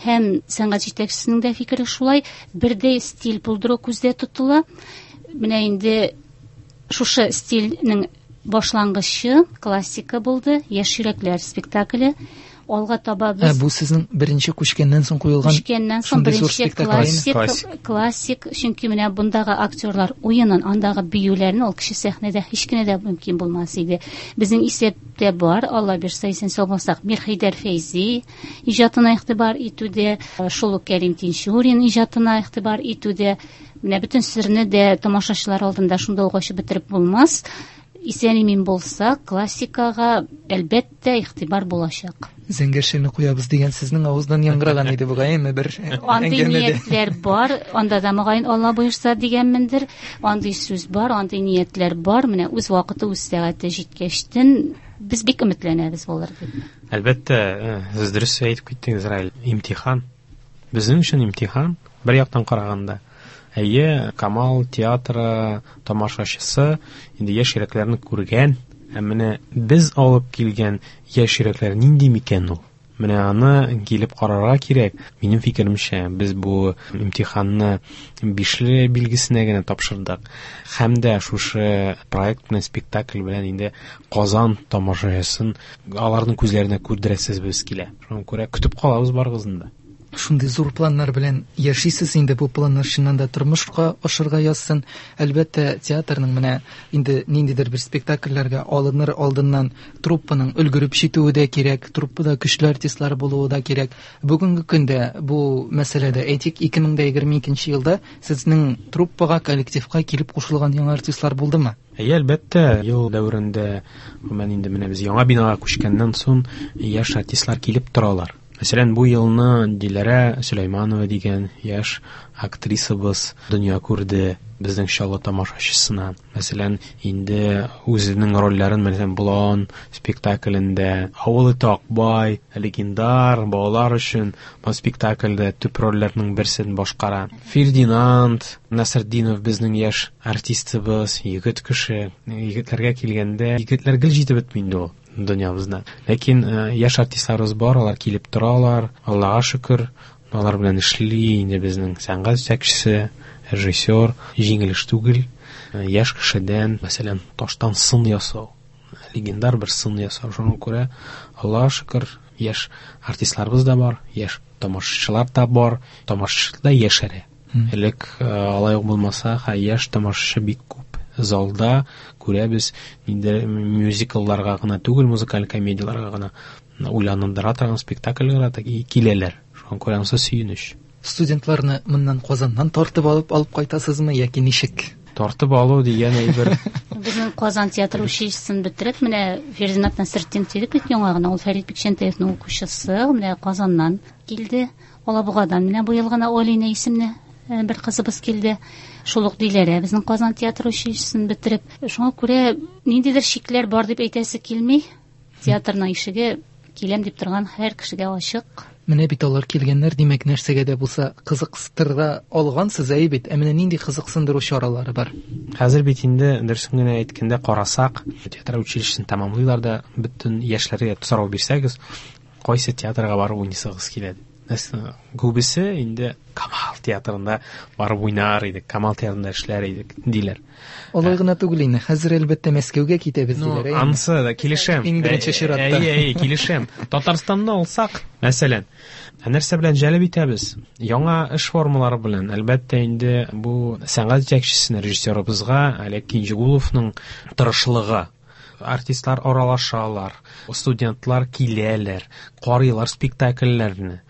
һәм сәнгать җитәкчесенең дә фикере шулай, бердәй стиль булдыру күздә тотыла. Менә инде шушы стильнең башлангычы классика булды, Яшь йөрәкләр спектакле. Алга таба без Ә, бу сезнең беренче күчкәннән соң куелган Күчкәннән соң шундый зур беренче спектакль, классик, Классик. классик, чөнки менә бундагы актерлар уенын, андагы биюләрне ул кеше сәхнәдә һич кенә дә мөмкин булмас иде. Безнең исәптә бар, Алла бирсә, исән сау булсак, Мирхәйдәр Фәйзи иҗатына игътибар итүдә, шул ук Кәрим Тинчурин иҗатына игътибар итүдә, менә бөтен серне дә тамашачылар алдында шунда ук ачып бетереп булмас. Исән-имин булса, классикага әлбәттә игътибар булачак. Зәңгәр шәлне куябыз дигән сезнең авыздан яңгыраган иде бугай, әмма бер Андый ниятләр бар, анда да мөгаен Алла боерса дигәнмендер. Андый сүз бар, андый ниятләр бар. Менә үз вакыты, үз сәгате җиткәчтен без бик өметләнәбез булыр дип. Әлбәттә, сез дөрес әйтеп киттегез, Раил. Имтихан. Безнең өчен имтихан, бер яктан караганда. Әйе, Камал театры тамашачысы инде яшь йөрәкләрне күргән, ә менә без алып килгән яшь йөрәкләр нинди микән ул? Менә аны килеп карарга кирәк. Минем фикеремчә, без бу имтиханны бишле билгесенә генә тапшырдык. Һәм дә шушы проект белән, спектакль белән инде Казан тамашачысын аларның күзләренә күрдерәсез без килә. Шуңа күрә көтеп калабыз барыгызны да. Шундый зур планнар белән яшисез инде, бу планнар чыннан да тормышка ашырга язсын. Әлбәттә, театрның менә инде ниндидер бер спектакльләргә алыныр алдыннан труппаның өлгереп җитүе дә кирәк, труппада көчле артистлар булуы да кирәк. Бүгенге көндә бу мәсьәләдә, әйтик, ике мең дә егерме икенче елда сезнең труппага, коллективка килеп кушылган яңа артистлар булдымы? Әйе, әлбәттә, ел дәверендә, гомумән инде менә без яңа бинага күчкәннән соң яшь артистлар килеп торалар. Мәсәлән, бу елны Диләрә Сөләйманова дигән яшь актрисабыз дөнья күрде безнең Чаллы тамашачысына. Мәсәлән, инде үзенең рольләрен, мәсәлән, Болан спектаклендә, Авыл эте Акбай, легендар балалар өчен бу спектакльдә төп рольләрнең берсен башкара. Фердинанд Насретдинов безнең яшь артистыбыз, егет кеше. Егетләргә килгәндә, егетләр гел җитеп бетми инде ул дөньябызда. Ләкин яшь артистларыбыз бар, алар килеп торалар. Аллага шөкер, алар белән эшли инде безнең сәнгать җитәкчесе, режиссер. Җиңел эш түгел. Яшь кешедән, мәсәлән, таштан сын ясау, легендар бер сын ясау. Шуңа күрә, Аллага шөкер, яшь артистларыбыз да бар, яшь тамашачылар да бар, тамашачы да яшәрә. Элек алай ук булмаса, яшь тамашачы бик күп. Залда күрәбез, инде мюзиклларга гына түгел, музыкаль комедияләргә гына уйландыра торган спектакльләргә дә киләләр. Шуңа күрә анысы сөенеч. Студентларны моннан Казаннан тартып алып алып кайтасызмы яки ничек? Тартып алу дигән әйбер. Безнең Казан театр училищесын бетереп, менә Фердинанд Насретдинов дидек бит яңа гына, ул Фәрит Бикчәнтәевнең укучысы, менә Казаннан килде. Алабугадан менә бу ел гына Олина исемле бер кызыбыз килде. Шул ук Диләрә безнең Казан театр училищесын бетереп. Шуңа күрә ниндидер шикләр бар дип әйтәсе килми. Театрның ишеге киләм дип торган һәр кешегә ачык. Менә бит алар килгәннәр, димәк, нәрсәгә дә булса кызыксындыра алгансыз, әй бит. Ә менә нинди кызыксындыру чаралары бар? Хәзер бит инде дөресен генә әйткәндә карасак, театр училищесын тәмамлыйлар да, бөтен яшьләргә сорау бирсәгез, кайсы театрга барып уйныйсыгыз килә? Күбесе инде Камал театрында барып уйнар идек, Камал театрында эшләр идек, диләр. Алай гына түгел инде, хәзер әлбәттә Мәскәүгә китәбез диләр. Ансы да килешәм. Иң беренче чиратта. Әйе, әйе, килешәм. Татарстанны алсак, мәсәлән, нәрсә белән җәлеп итәбез? Яңа эш формалары белән. Әлбәттә инде бу сәнгать җитәкчесенә, режиссерыбызга Олег Кинҗигуловның тырышлыгы. Артистлар аралашалар, студентлар киләләр, карыйлар спектакльләрне.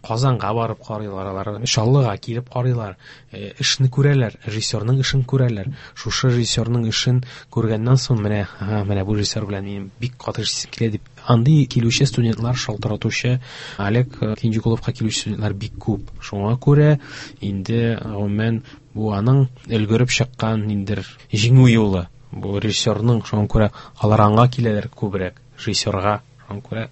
Казанга барып карыйлар, алар Чаллыга килеп карыйлар, эшне күрәләр, режиссерның эшен күрәләр. Шушы режиссерның эшен күргәннән соң менә, ага, менә бу режиссер белән минем бик каты эшлисем килә дип, андый килүче студентлар шалтыратучы, Олег Кинҗигуловка килүче студентлар бик күп. Шуңа күрә инде гомумән бу аның өлгереп чыккан ниндидер җиңү юлы. Бу режиссерның, шуңа күрә алар аңа киләләр күбрәк, режиссерга. Шуңа күрә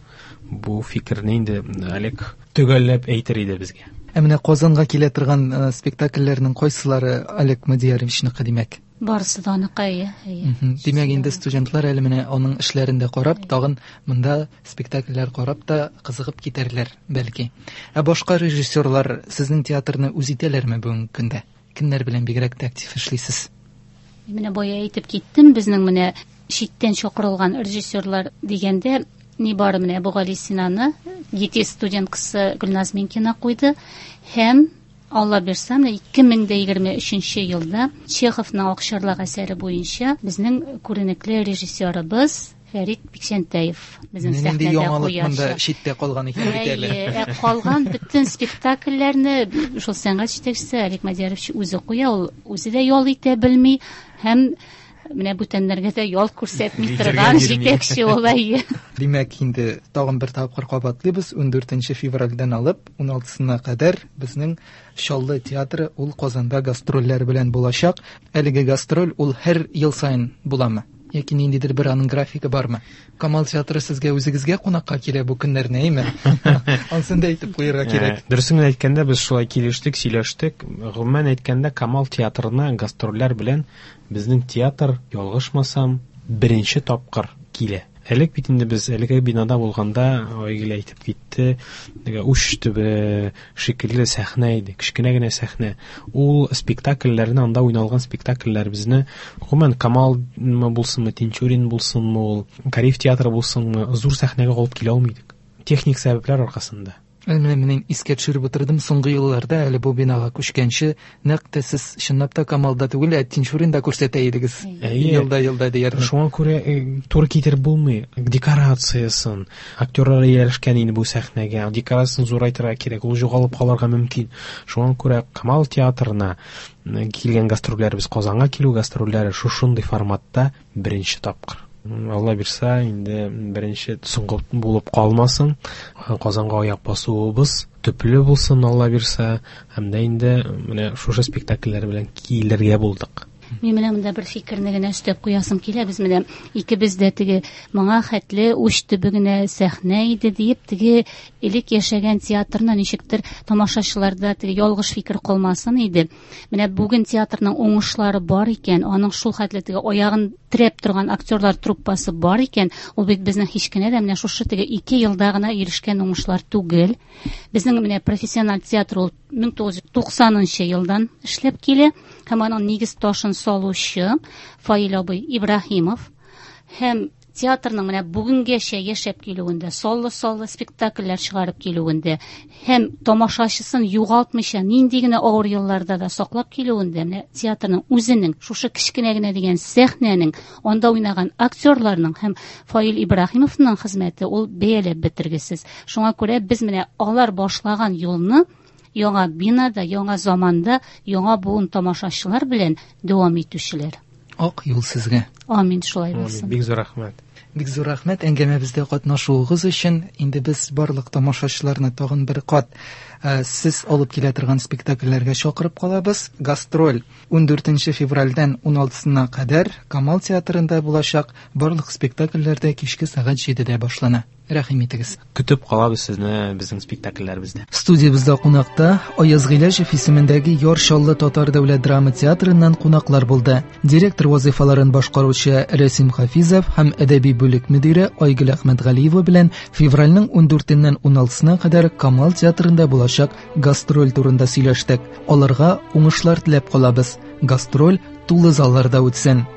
бу фикерне инде Олег төгәлләп әйтер иде безгә. Ә менә Казанга килә торган спектакльләрнең кайсылары Олег Мадияровичныкы, димәк? Барысы да аныкы, әйе, әйе. Димәк, инде студентлар әле менә аның эшләрен дә карап, тагын монда спектакльләр карап та кызыгып китәрләр, бәлки. Ә башка режиссерлар сезнең театрны үз итәләрме бүгенге көндә? Кемнәр белән бигрәк тә актив эшлисез? Менә бая әйтеп киттем, безнең менә читтән чакырылган режиссерлар дигәндә, ни бары менә Әбүгали Синаны ГИТИС студенткасы Гөлназ Минкина куйды һәм Алла бирсә, менә ике мең дә егерме өченче елда Чеховның Акчарлак әсәре буенча безнең күренекле режиссерыбыз Фәрит Бикчәнтәев безнең Нинди сәхнәдә яңалык монда куячак. читтә калган икән бит әле. Әйе, ә калган бөтен спектакльләрне шул сәнгать җитәкчесе Олег Мадиярович үзе куя, ул үзе дә ял итә белми һәм менә бүтәннәргә дә ял күрсәтми торган җитәкче ул, әйе. Димәк, инде тагын бер тапкыр кабатлыйбыз, ундүртенче февральдән алып уналтысына кадәр безнең Чаллы театры ул Казанда гастрольләр белән булачак. Әлеге гастроль ул һәр ел саен буламы? Яки ниндидер бер аның графигы бармы? Камал театры сезгә үзегезгә кунакка килә бу көннәрне, әйме? Ансын да әйтеп куярга кирәк. Дөресен генә әйткәндә, без шулай килештек, сөйләштек. Гомумән әйткәндә, Камал театрына гастрольләр белән безнең театр, ялгышмасам, беренче тапкыр килә. Элек бит инде без әлеге бинада булганда, Айгөл әйтеп китте, теге уч төбе шикелле сәхнә иде, кечкенә генә сәхнә. Ул спектакльләрне, анда уйналган спектакльләребезне, гомумән Камалмы булсынмы, Тинчурин булсынмы, ул Кариев театры булсынмы, зур сәхнәгә алып килә алмыйдык. Техник сәбәпләр аркасында. Менә мин искә төшереп утырдым, соңгы елларда әле бу бинага күчкәнче, нәкъ тә сез чынлап та Камалда түгел, ә Тинчуринда күрсәтә идегез. Елда-елда диярлек. Шуңа күрә туры китереп булмый. Декорациясын, актерлар ияләшкән инде бу сәхнәгә, декорациясын зурайтырга кирәк, ул югалып калырга мөмкин. Шуңа күрә Камал театрына килгән гастрольләребез, Казанга килү гастрольләре шушындый форматта беренче тапкыр. Алла бирсә, инде беренче соңгы булып калмасын. Казанга аяк басуыбыз төпле булсын, Алла бирсә, һәм дә инде менә шушы спектакльләр белән килергә булдык. Мин менә монда бер фикерне генә өстәп куясым килә. Без менә икебез дә теге моңа хәтле уч төбе генә сәхнә иде диеп, теге элек яшәгән театрны ничектер тамашачыларда теге ялгыш фикер калмасын иде. Менә бүген театрның уңышлары бар икән, аның шул хәтле теге аягын терәп торган актерлар труппасы бар икән, ул бит безнең һич кенә дә менә шушы теге ике елда гына ирешкән уңышлар түгел. Безнең менә профессиональ театр ул мең тугыз йөз туксанынчы елдан эшләп килә һәм аның нигез ташын салучы Фаил абый Ибраһимов һәм театрның менә бүгенгәчә яшәп килүендә, саллы-саллы спектакльләр чыгарып килүендә һәм тамашачысын югалтмыйча нинди генә авыр елларда да саклап килүендә, менә театрның үзенең шушы кечкенә генә дигән сәхнәнең, анда уйнаган актерларның һәм Фаил Ибраһимовның хезмәте ул бәяләп бетергесез. Шуңа күрә без менә алар башлаган юлны яңа бинада, яңа заманда, яңа буын тамашачылар белән дәвам итүчеләр. Ак юл сезгә. Амин, шулай булсын. Бик зур рәхмәт. Бик зур рәхмәт әңгәмәбездә катнашуыгыз өчен. Инде без барлык тамашачыларны тагын бер кат, э, сез алып килә торган спектакльләргә чакырып калабыз. Гастроль ундүртенче февральдән уналтысына кадәр Камал театрында булачак. Барлык спектакльләрдә кичке сәгать җидедә башлана. Рәхим итегез. Көтеп калабыз сезне безнең спектакльләребездә. Студиябездә кунакта Аяз Гыйләҗев исемендәге Яр Чаллы татар дәүләт драма театрыннан кунаклар булды. Директор вазифаларын башкаручы Рәсим Хафизов һәм әдәби бүлек мөдире Айгөл Әхмәтгалиева белән февральнең ундүртеннән уналтысына кадәр Камал театрында булачак гастроль турында сөйләштек. Аларга уңышлар теләп калабыз. Гастроль тулы залларда үтсен.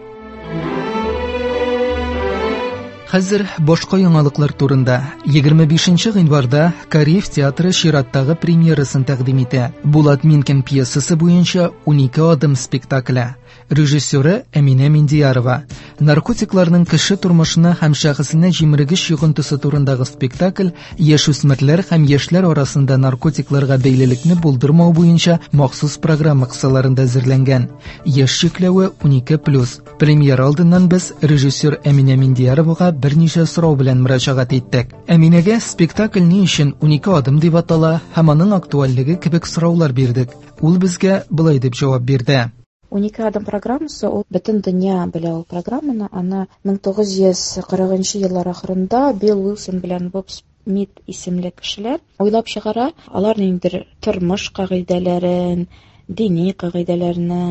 Хәзер башка яңалыклар турында. Егерме бишенче гыйнварда Кариев театры чираттагы премьерасын тәкъдим итә. Булат Минкин пьесасы буенча унике адым спектакле. Режиссеры Әминә Миндиярова. Наркотикларның кеше тормышына һәм шәхесенә җимергеч йогынтысы турындагы спектакль яшүсмерләр һәм яшьләр арасында наркотикларга бәйлелекне булдырмау буенча махсус программа кысаларында әзерләнгән. Яшь чикләве унике плюс. Премьера алдыннан без режиссер Әминә Миндияровага берничә сорау белән мөрәҗәгать иттек. Әминәгә спектакль ни өчен унике адым дип атала һәм аның актуальлеге кебек сораулар бирдек. Ул безгә болай дип җавап бирде. Унике адым программасы ул бөтен дөнья белә ул программаны. Аны мең тугыз йөз кырыгынчы еллар ахырында Билл Уилсон белән Боб Смит исемле кешеләр уйлап чыгара. Алар ниндидер тормыш кагыйдәләрен, дини кагыйдәләрне,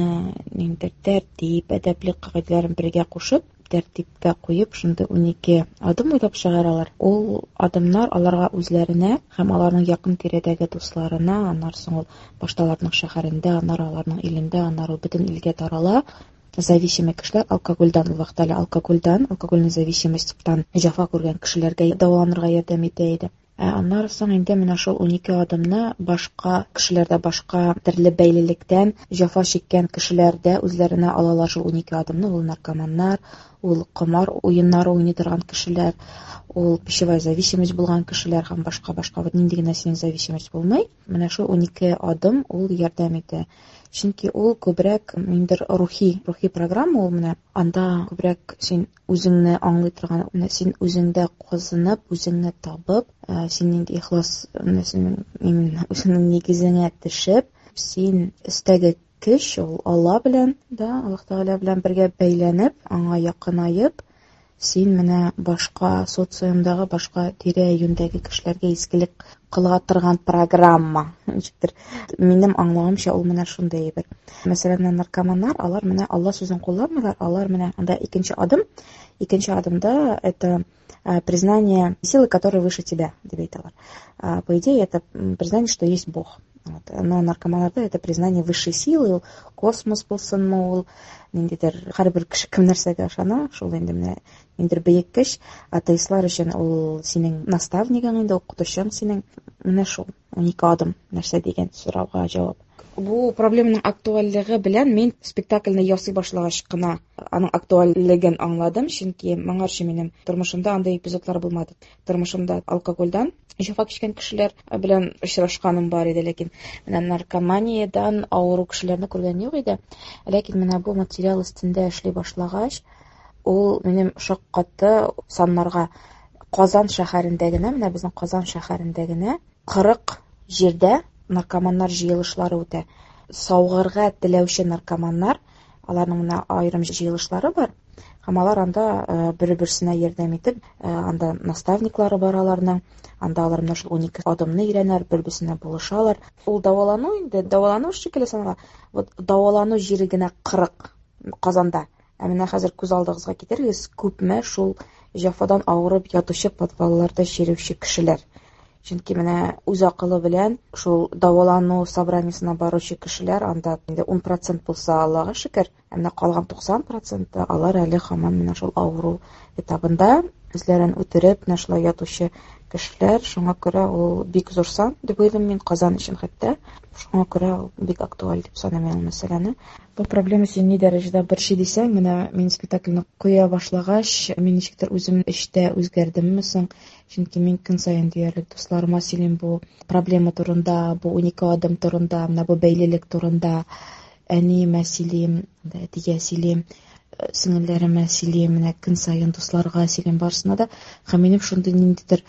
ниндидер тәртип, әдәплек кагыйдәләрен бергә кушып, тәртипкә куеп, шундый унике адым уйлап чыгаралар. Ул адымнар аларга үзләренә һәм аларның якын тирәдәге дусларына, аннан соң ул башта аларның шәһәрендә, аннары аларның илендә, аннары ул бөтен илгә тарала. Зависимый кешеләр алкогольдән, ул вакытта әле алкогольдән, алкогольный зависимостьтан җәфа күргән кешеләргә дәваланырга ярдәм итә иде. Ә аннары соң инде менә шул унике адымны башка кешеләрдә, башка төрле бәйлелектән җәфа чиккән кешеләрдә үзләренә алалар шул унике адымны. Ул наркоманнар, ул комар уеннары уйный торган кешеләр, Ул пищевая зависимость булган кешеләр һәм башка-башка вот нинди генә синең зависимость булмый. Менә шул унике адым ул ярдәм итә. Чөнки ул күбрәк ниндидер рухи, рухи программа ул менә анда күбрәк син үзеңне аңлый торган, менә син үзеңдә казынып, үзеңне табып, син нинди ихлас, менә синең именно үзеңнең нигезеңә төшеп, син өстәге көч ул Алла белән, да, Аллаһ Тәгалә белән бергә бәйләнеп, аңа якынаеп, син менә башка социумдагы, башка тирә-юньдәге кешеләргә изгелек кыла торган программа. Ничектер, минем аңлавымча, ул менә шундый әйбер. Мәсәлән, наркоманнар, алар менә Алла сүзен кулланмыйлар, алар менә анда икенче адым, икенче адымда это признание силы, которая выше тебя, дип әйтәләр. По идее, это признание, что есть Бог. Вот. Но наркоманнарда это признание высшей силы, ул космос булсынмы, ул ниндидер һәрбер кеше кем нәрсәгә ышана, шул инде менә ниндидер бөек көч. Атеистлар өчен ул синең наставнигың инде, укытучың синең. Менә шул унике адым нәрсә дигән сорауга җавап. Бу проблеманың актуальлыгы белән мин спектакльне ясый башлагач кына аның актуальлеген аңладым, чөнки моңарчы минем тормышымда андый эпизодлар булмады. Тормышымда алкогольдән җәфа кичкән кешеләр белән очрашканым бар иде, ләкин менә наркоманиядән авыру кешеләрне күргән юк иде. Ләкин менә бу материал өстендә эшли башлагач, ул минем шаккатты саннарга. Казан шәһәрендә генә, менә безнең Казан шәһәрендә генә кырык җирдә наркоманнар җыелышлары үтә. Саугырга теләүче наркоманнар, аларның менә аерым җыелышлары бар. Һәм алар анда бер-берсенә ярдәм итеп, анда наставниклары бар аларның, анда алар менә шул унике адымны өйрәнәләр, бер-берсенә булышалар. Ул дәвалану инде, дәвалану шикелле санала. Вот дәвалану җире генә кырык Казанда. Ә менә хәзер күз алдыгызга китерегез, күпме шул җәфадан авырып ятучы подвалларда чирүче кешеләр. Чөнки менә үз акылы белән шул дәвалану собраниесына баручы кешеләр анда инде ун процент булса, Аллага шөкер, ә менә калган туксан проценты алар әле һаман менә шул авыру этабында үзләрен үтереп, менә шулай ятучы кешеләр. Шуңа күрә ул бик зур сан дип уйлыйм мин Казан өчен хәтта. Шуңа күрә ул бик актуаль дип саныйм мин ул мәсьәләне. Бу проблема сине ни дәрәҗәдә борчый дисәң, менә мин спектакльне куя башлагач, мин ничектер үзем эчтә үзгәрдемме соң? Чөнки мин көн саен диярлек дусларыма сөйлим бу проблема турында, бу унике адым турында, менә бу бәйлелек турында. Әниемә сөйлим, әтигә сөйлим, сеңелләремә сөйлим, менә көн саен дусларга сөйлим, барысына да. Һәм минем шундый ниндидер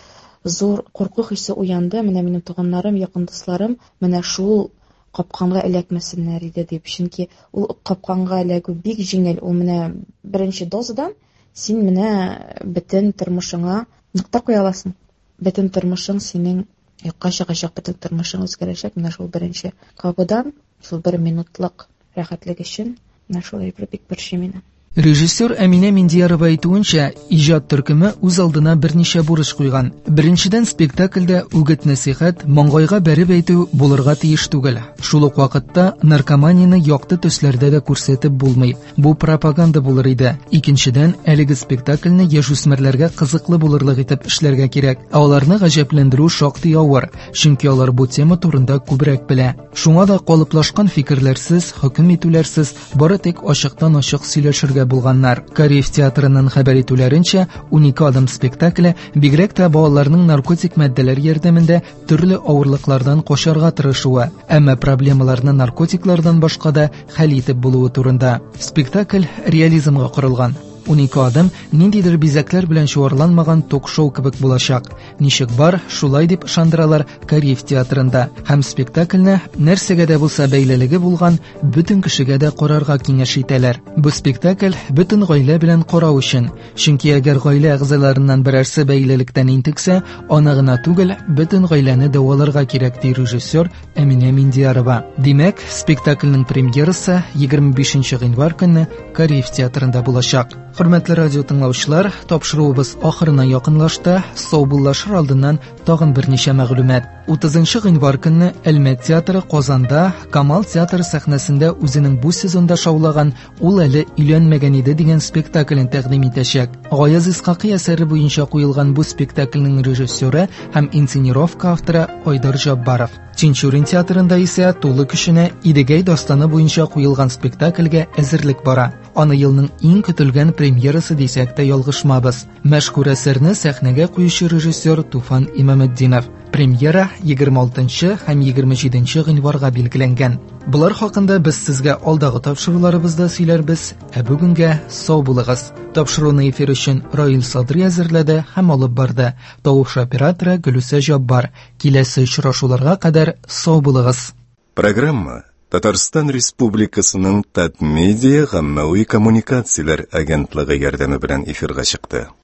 зур курку хисе уянды. Менә минем туганнарым, якын дусларым менә шул капканга эләкмәсеннәр иде дип. Чөнки ул капканга эләгү бик җиңел. Ул менә беренче дозадан син менә бөтен тормышыңа нокта куя аласың. Бөтен тормышың синең юкка чыгачак, бөтен тормышың үзгәрәчәк. Менә шул беренче кабудан, шул бер минутлык рәхәтлек өчен менә шул әйбер бик борчый мине. Режиссер Әминә Миндиярова әйтүенчә, иҗат төркеме үз алдына берничә бурыч куйган. Беренчедән, спектакльдә үгет-нәсихәт, маңгайга бәреп әйтү булырга тиеш түгел. Шул ук вакытта наркоманияне якты төсләрдә дә күрсәтеп булмый. Бу пропаганда булыр иде. Икенчедән, әлеге спектакльне яшүсмерләргә кызыклы булырлык итеп эшләргә кирәк. Ә аларны гаҗәпләндерү шактый авыр, чөнки алар бу тема турында күбрәк белә. Шуңа да калыплашкан фикерләрсез, хөкем итүләрсез, бары тик ачыктан-ачык сөйләшергә булганнар. Кариев театрының хәбәр итүләренчә, унике адым спектакле бигрәк тә балаларның наркотик матдәләр ярдәмендә төрле авырлыклардан качарга тырышуы, әмма проблемаларны наркотиклардан башка да хәл итеп булуы турында. Спектакль реализмга корылган. Унике адым ниндидер бизәкләр белән чуарланмаган ток-шоу кебек булачак. Ничек бар, шулай дип ышандыралар Кариев театрында. Һәм спектакльне нәрсәгә дә булса бәйлелеге булган бөтен кешегә дә карарга киңәш итәләр. Бу спектакль бөтен гаилә белән карау өчен. Чөнки әгәр гаилә әгъзаларыннан берәрсе бәйлелектән интексә, аны гына түгел, бөтен гаиләне дәваларга кирәк, ди режиссер Әминә Миндиярова. Димәк, спектакльнең премьерасы егерме бишенче гыйнвар көнне Кариев театрында булачак. Хөрмәтле радио тыңлаучылар, тапшыруыбыз ахырына якынлашты. Саубуллашыр алдыннан тагын берничә мәгълүмат. Утызынчы гыйнвар көнне Әлмәт театры Казанда Камал театры сәхнәсендә үзенең бу сезонда шаулаган Ул әле өйләнмәгән иде дигән спектаклен тәкъдим итәчәк. Гаяз Исхакый әсәре буенча куелган бу спектакльнең режиссеры һәм инсценировка авторы Айдар Җаббаров. Тинчурин театрында исә тулы көченә Идегәй дастаны буенча куелган спектакльгә әзерлек бара. Аны елның иң көтелгән премьерасы дисәк тә ялгышмабыз. Мәшһүр әсәрне сәхнәгә куючы режиссер Туфан Имаметдинов. Премьера егерме алтынчы һәм егерме җиденче гыйнварга билгеләнгән. Болар хакында без сезгә алдагы тапшыруларыбызда сөйләрбез. Ә бүгенгә сау булыгыз. Тапшыруны эфир өчен Раил Садри әзерләде һәм алып барды. Тавыш операторы Гөлүсә Җаббар. Киләсе очрашуларга кадәр сау булыгыз. Программа Татарстан Республикасының Татмедиа гаммәви коммуникацияләр агентлыгы ярдәме белән эфирга чыкты.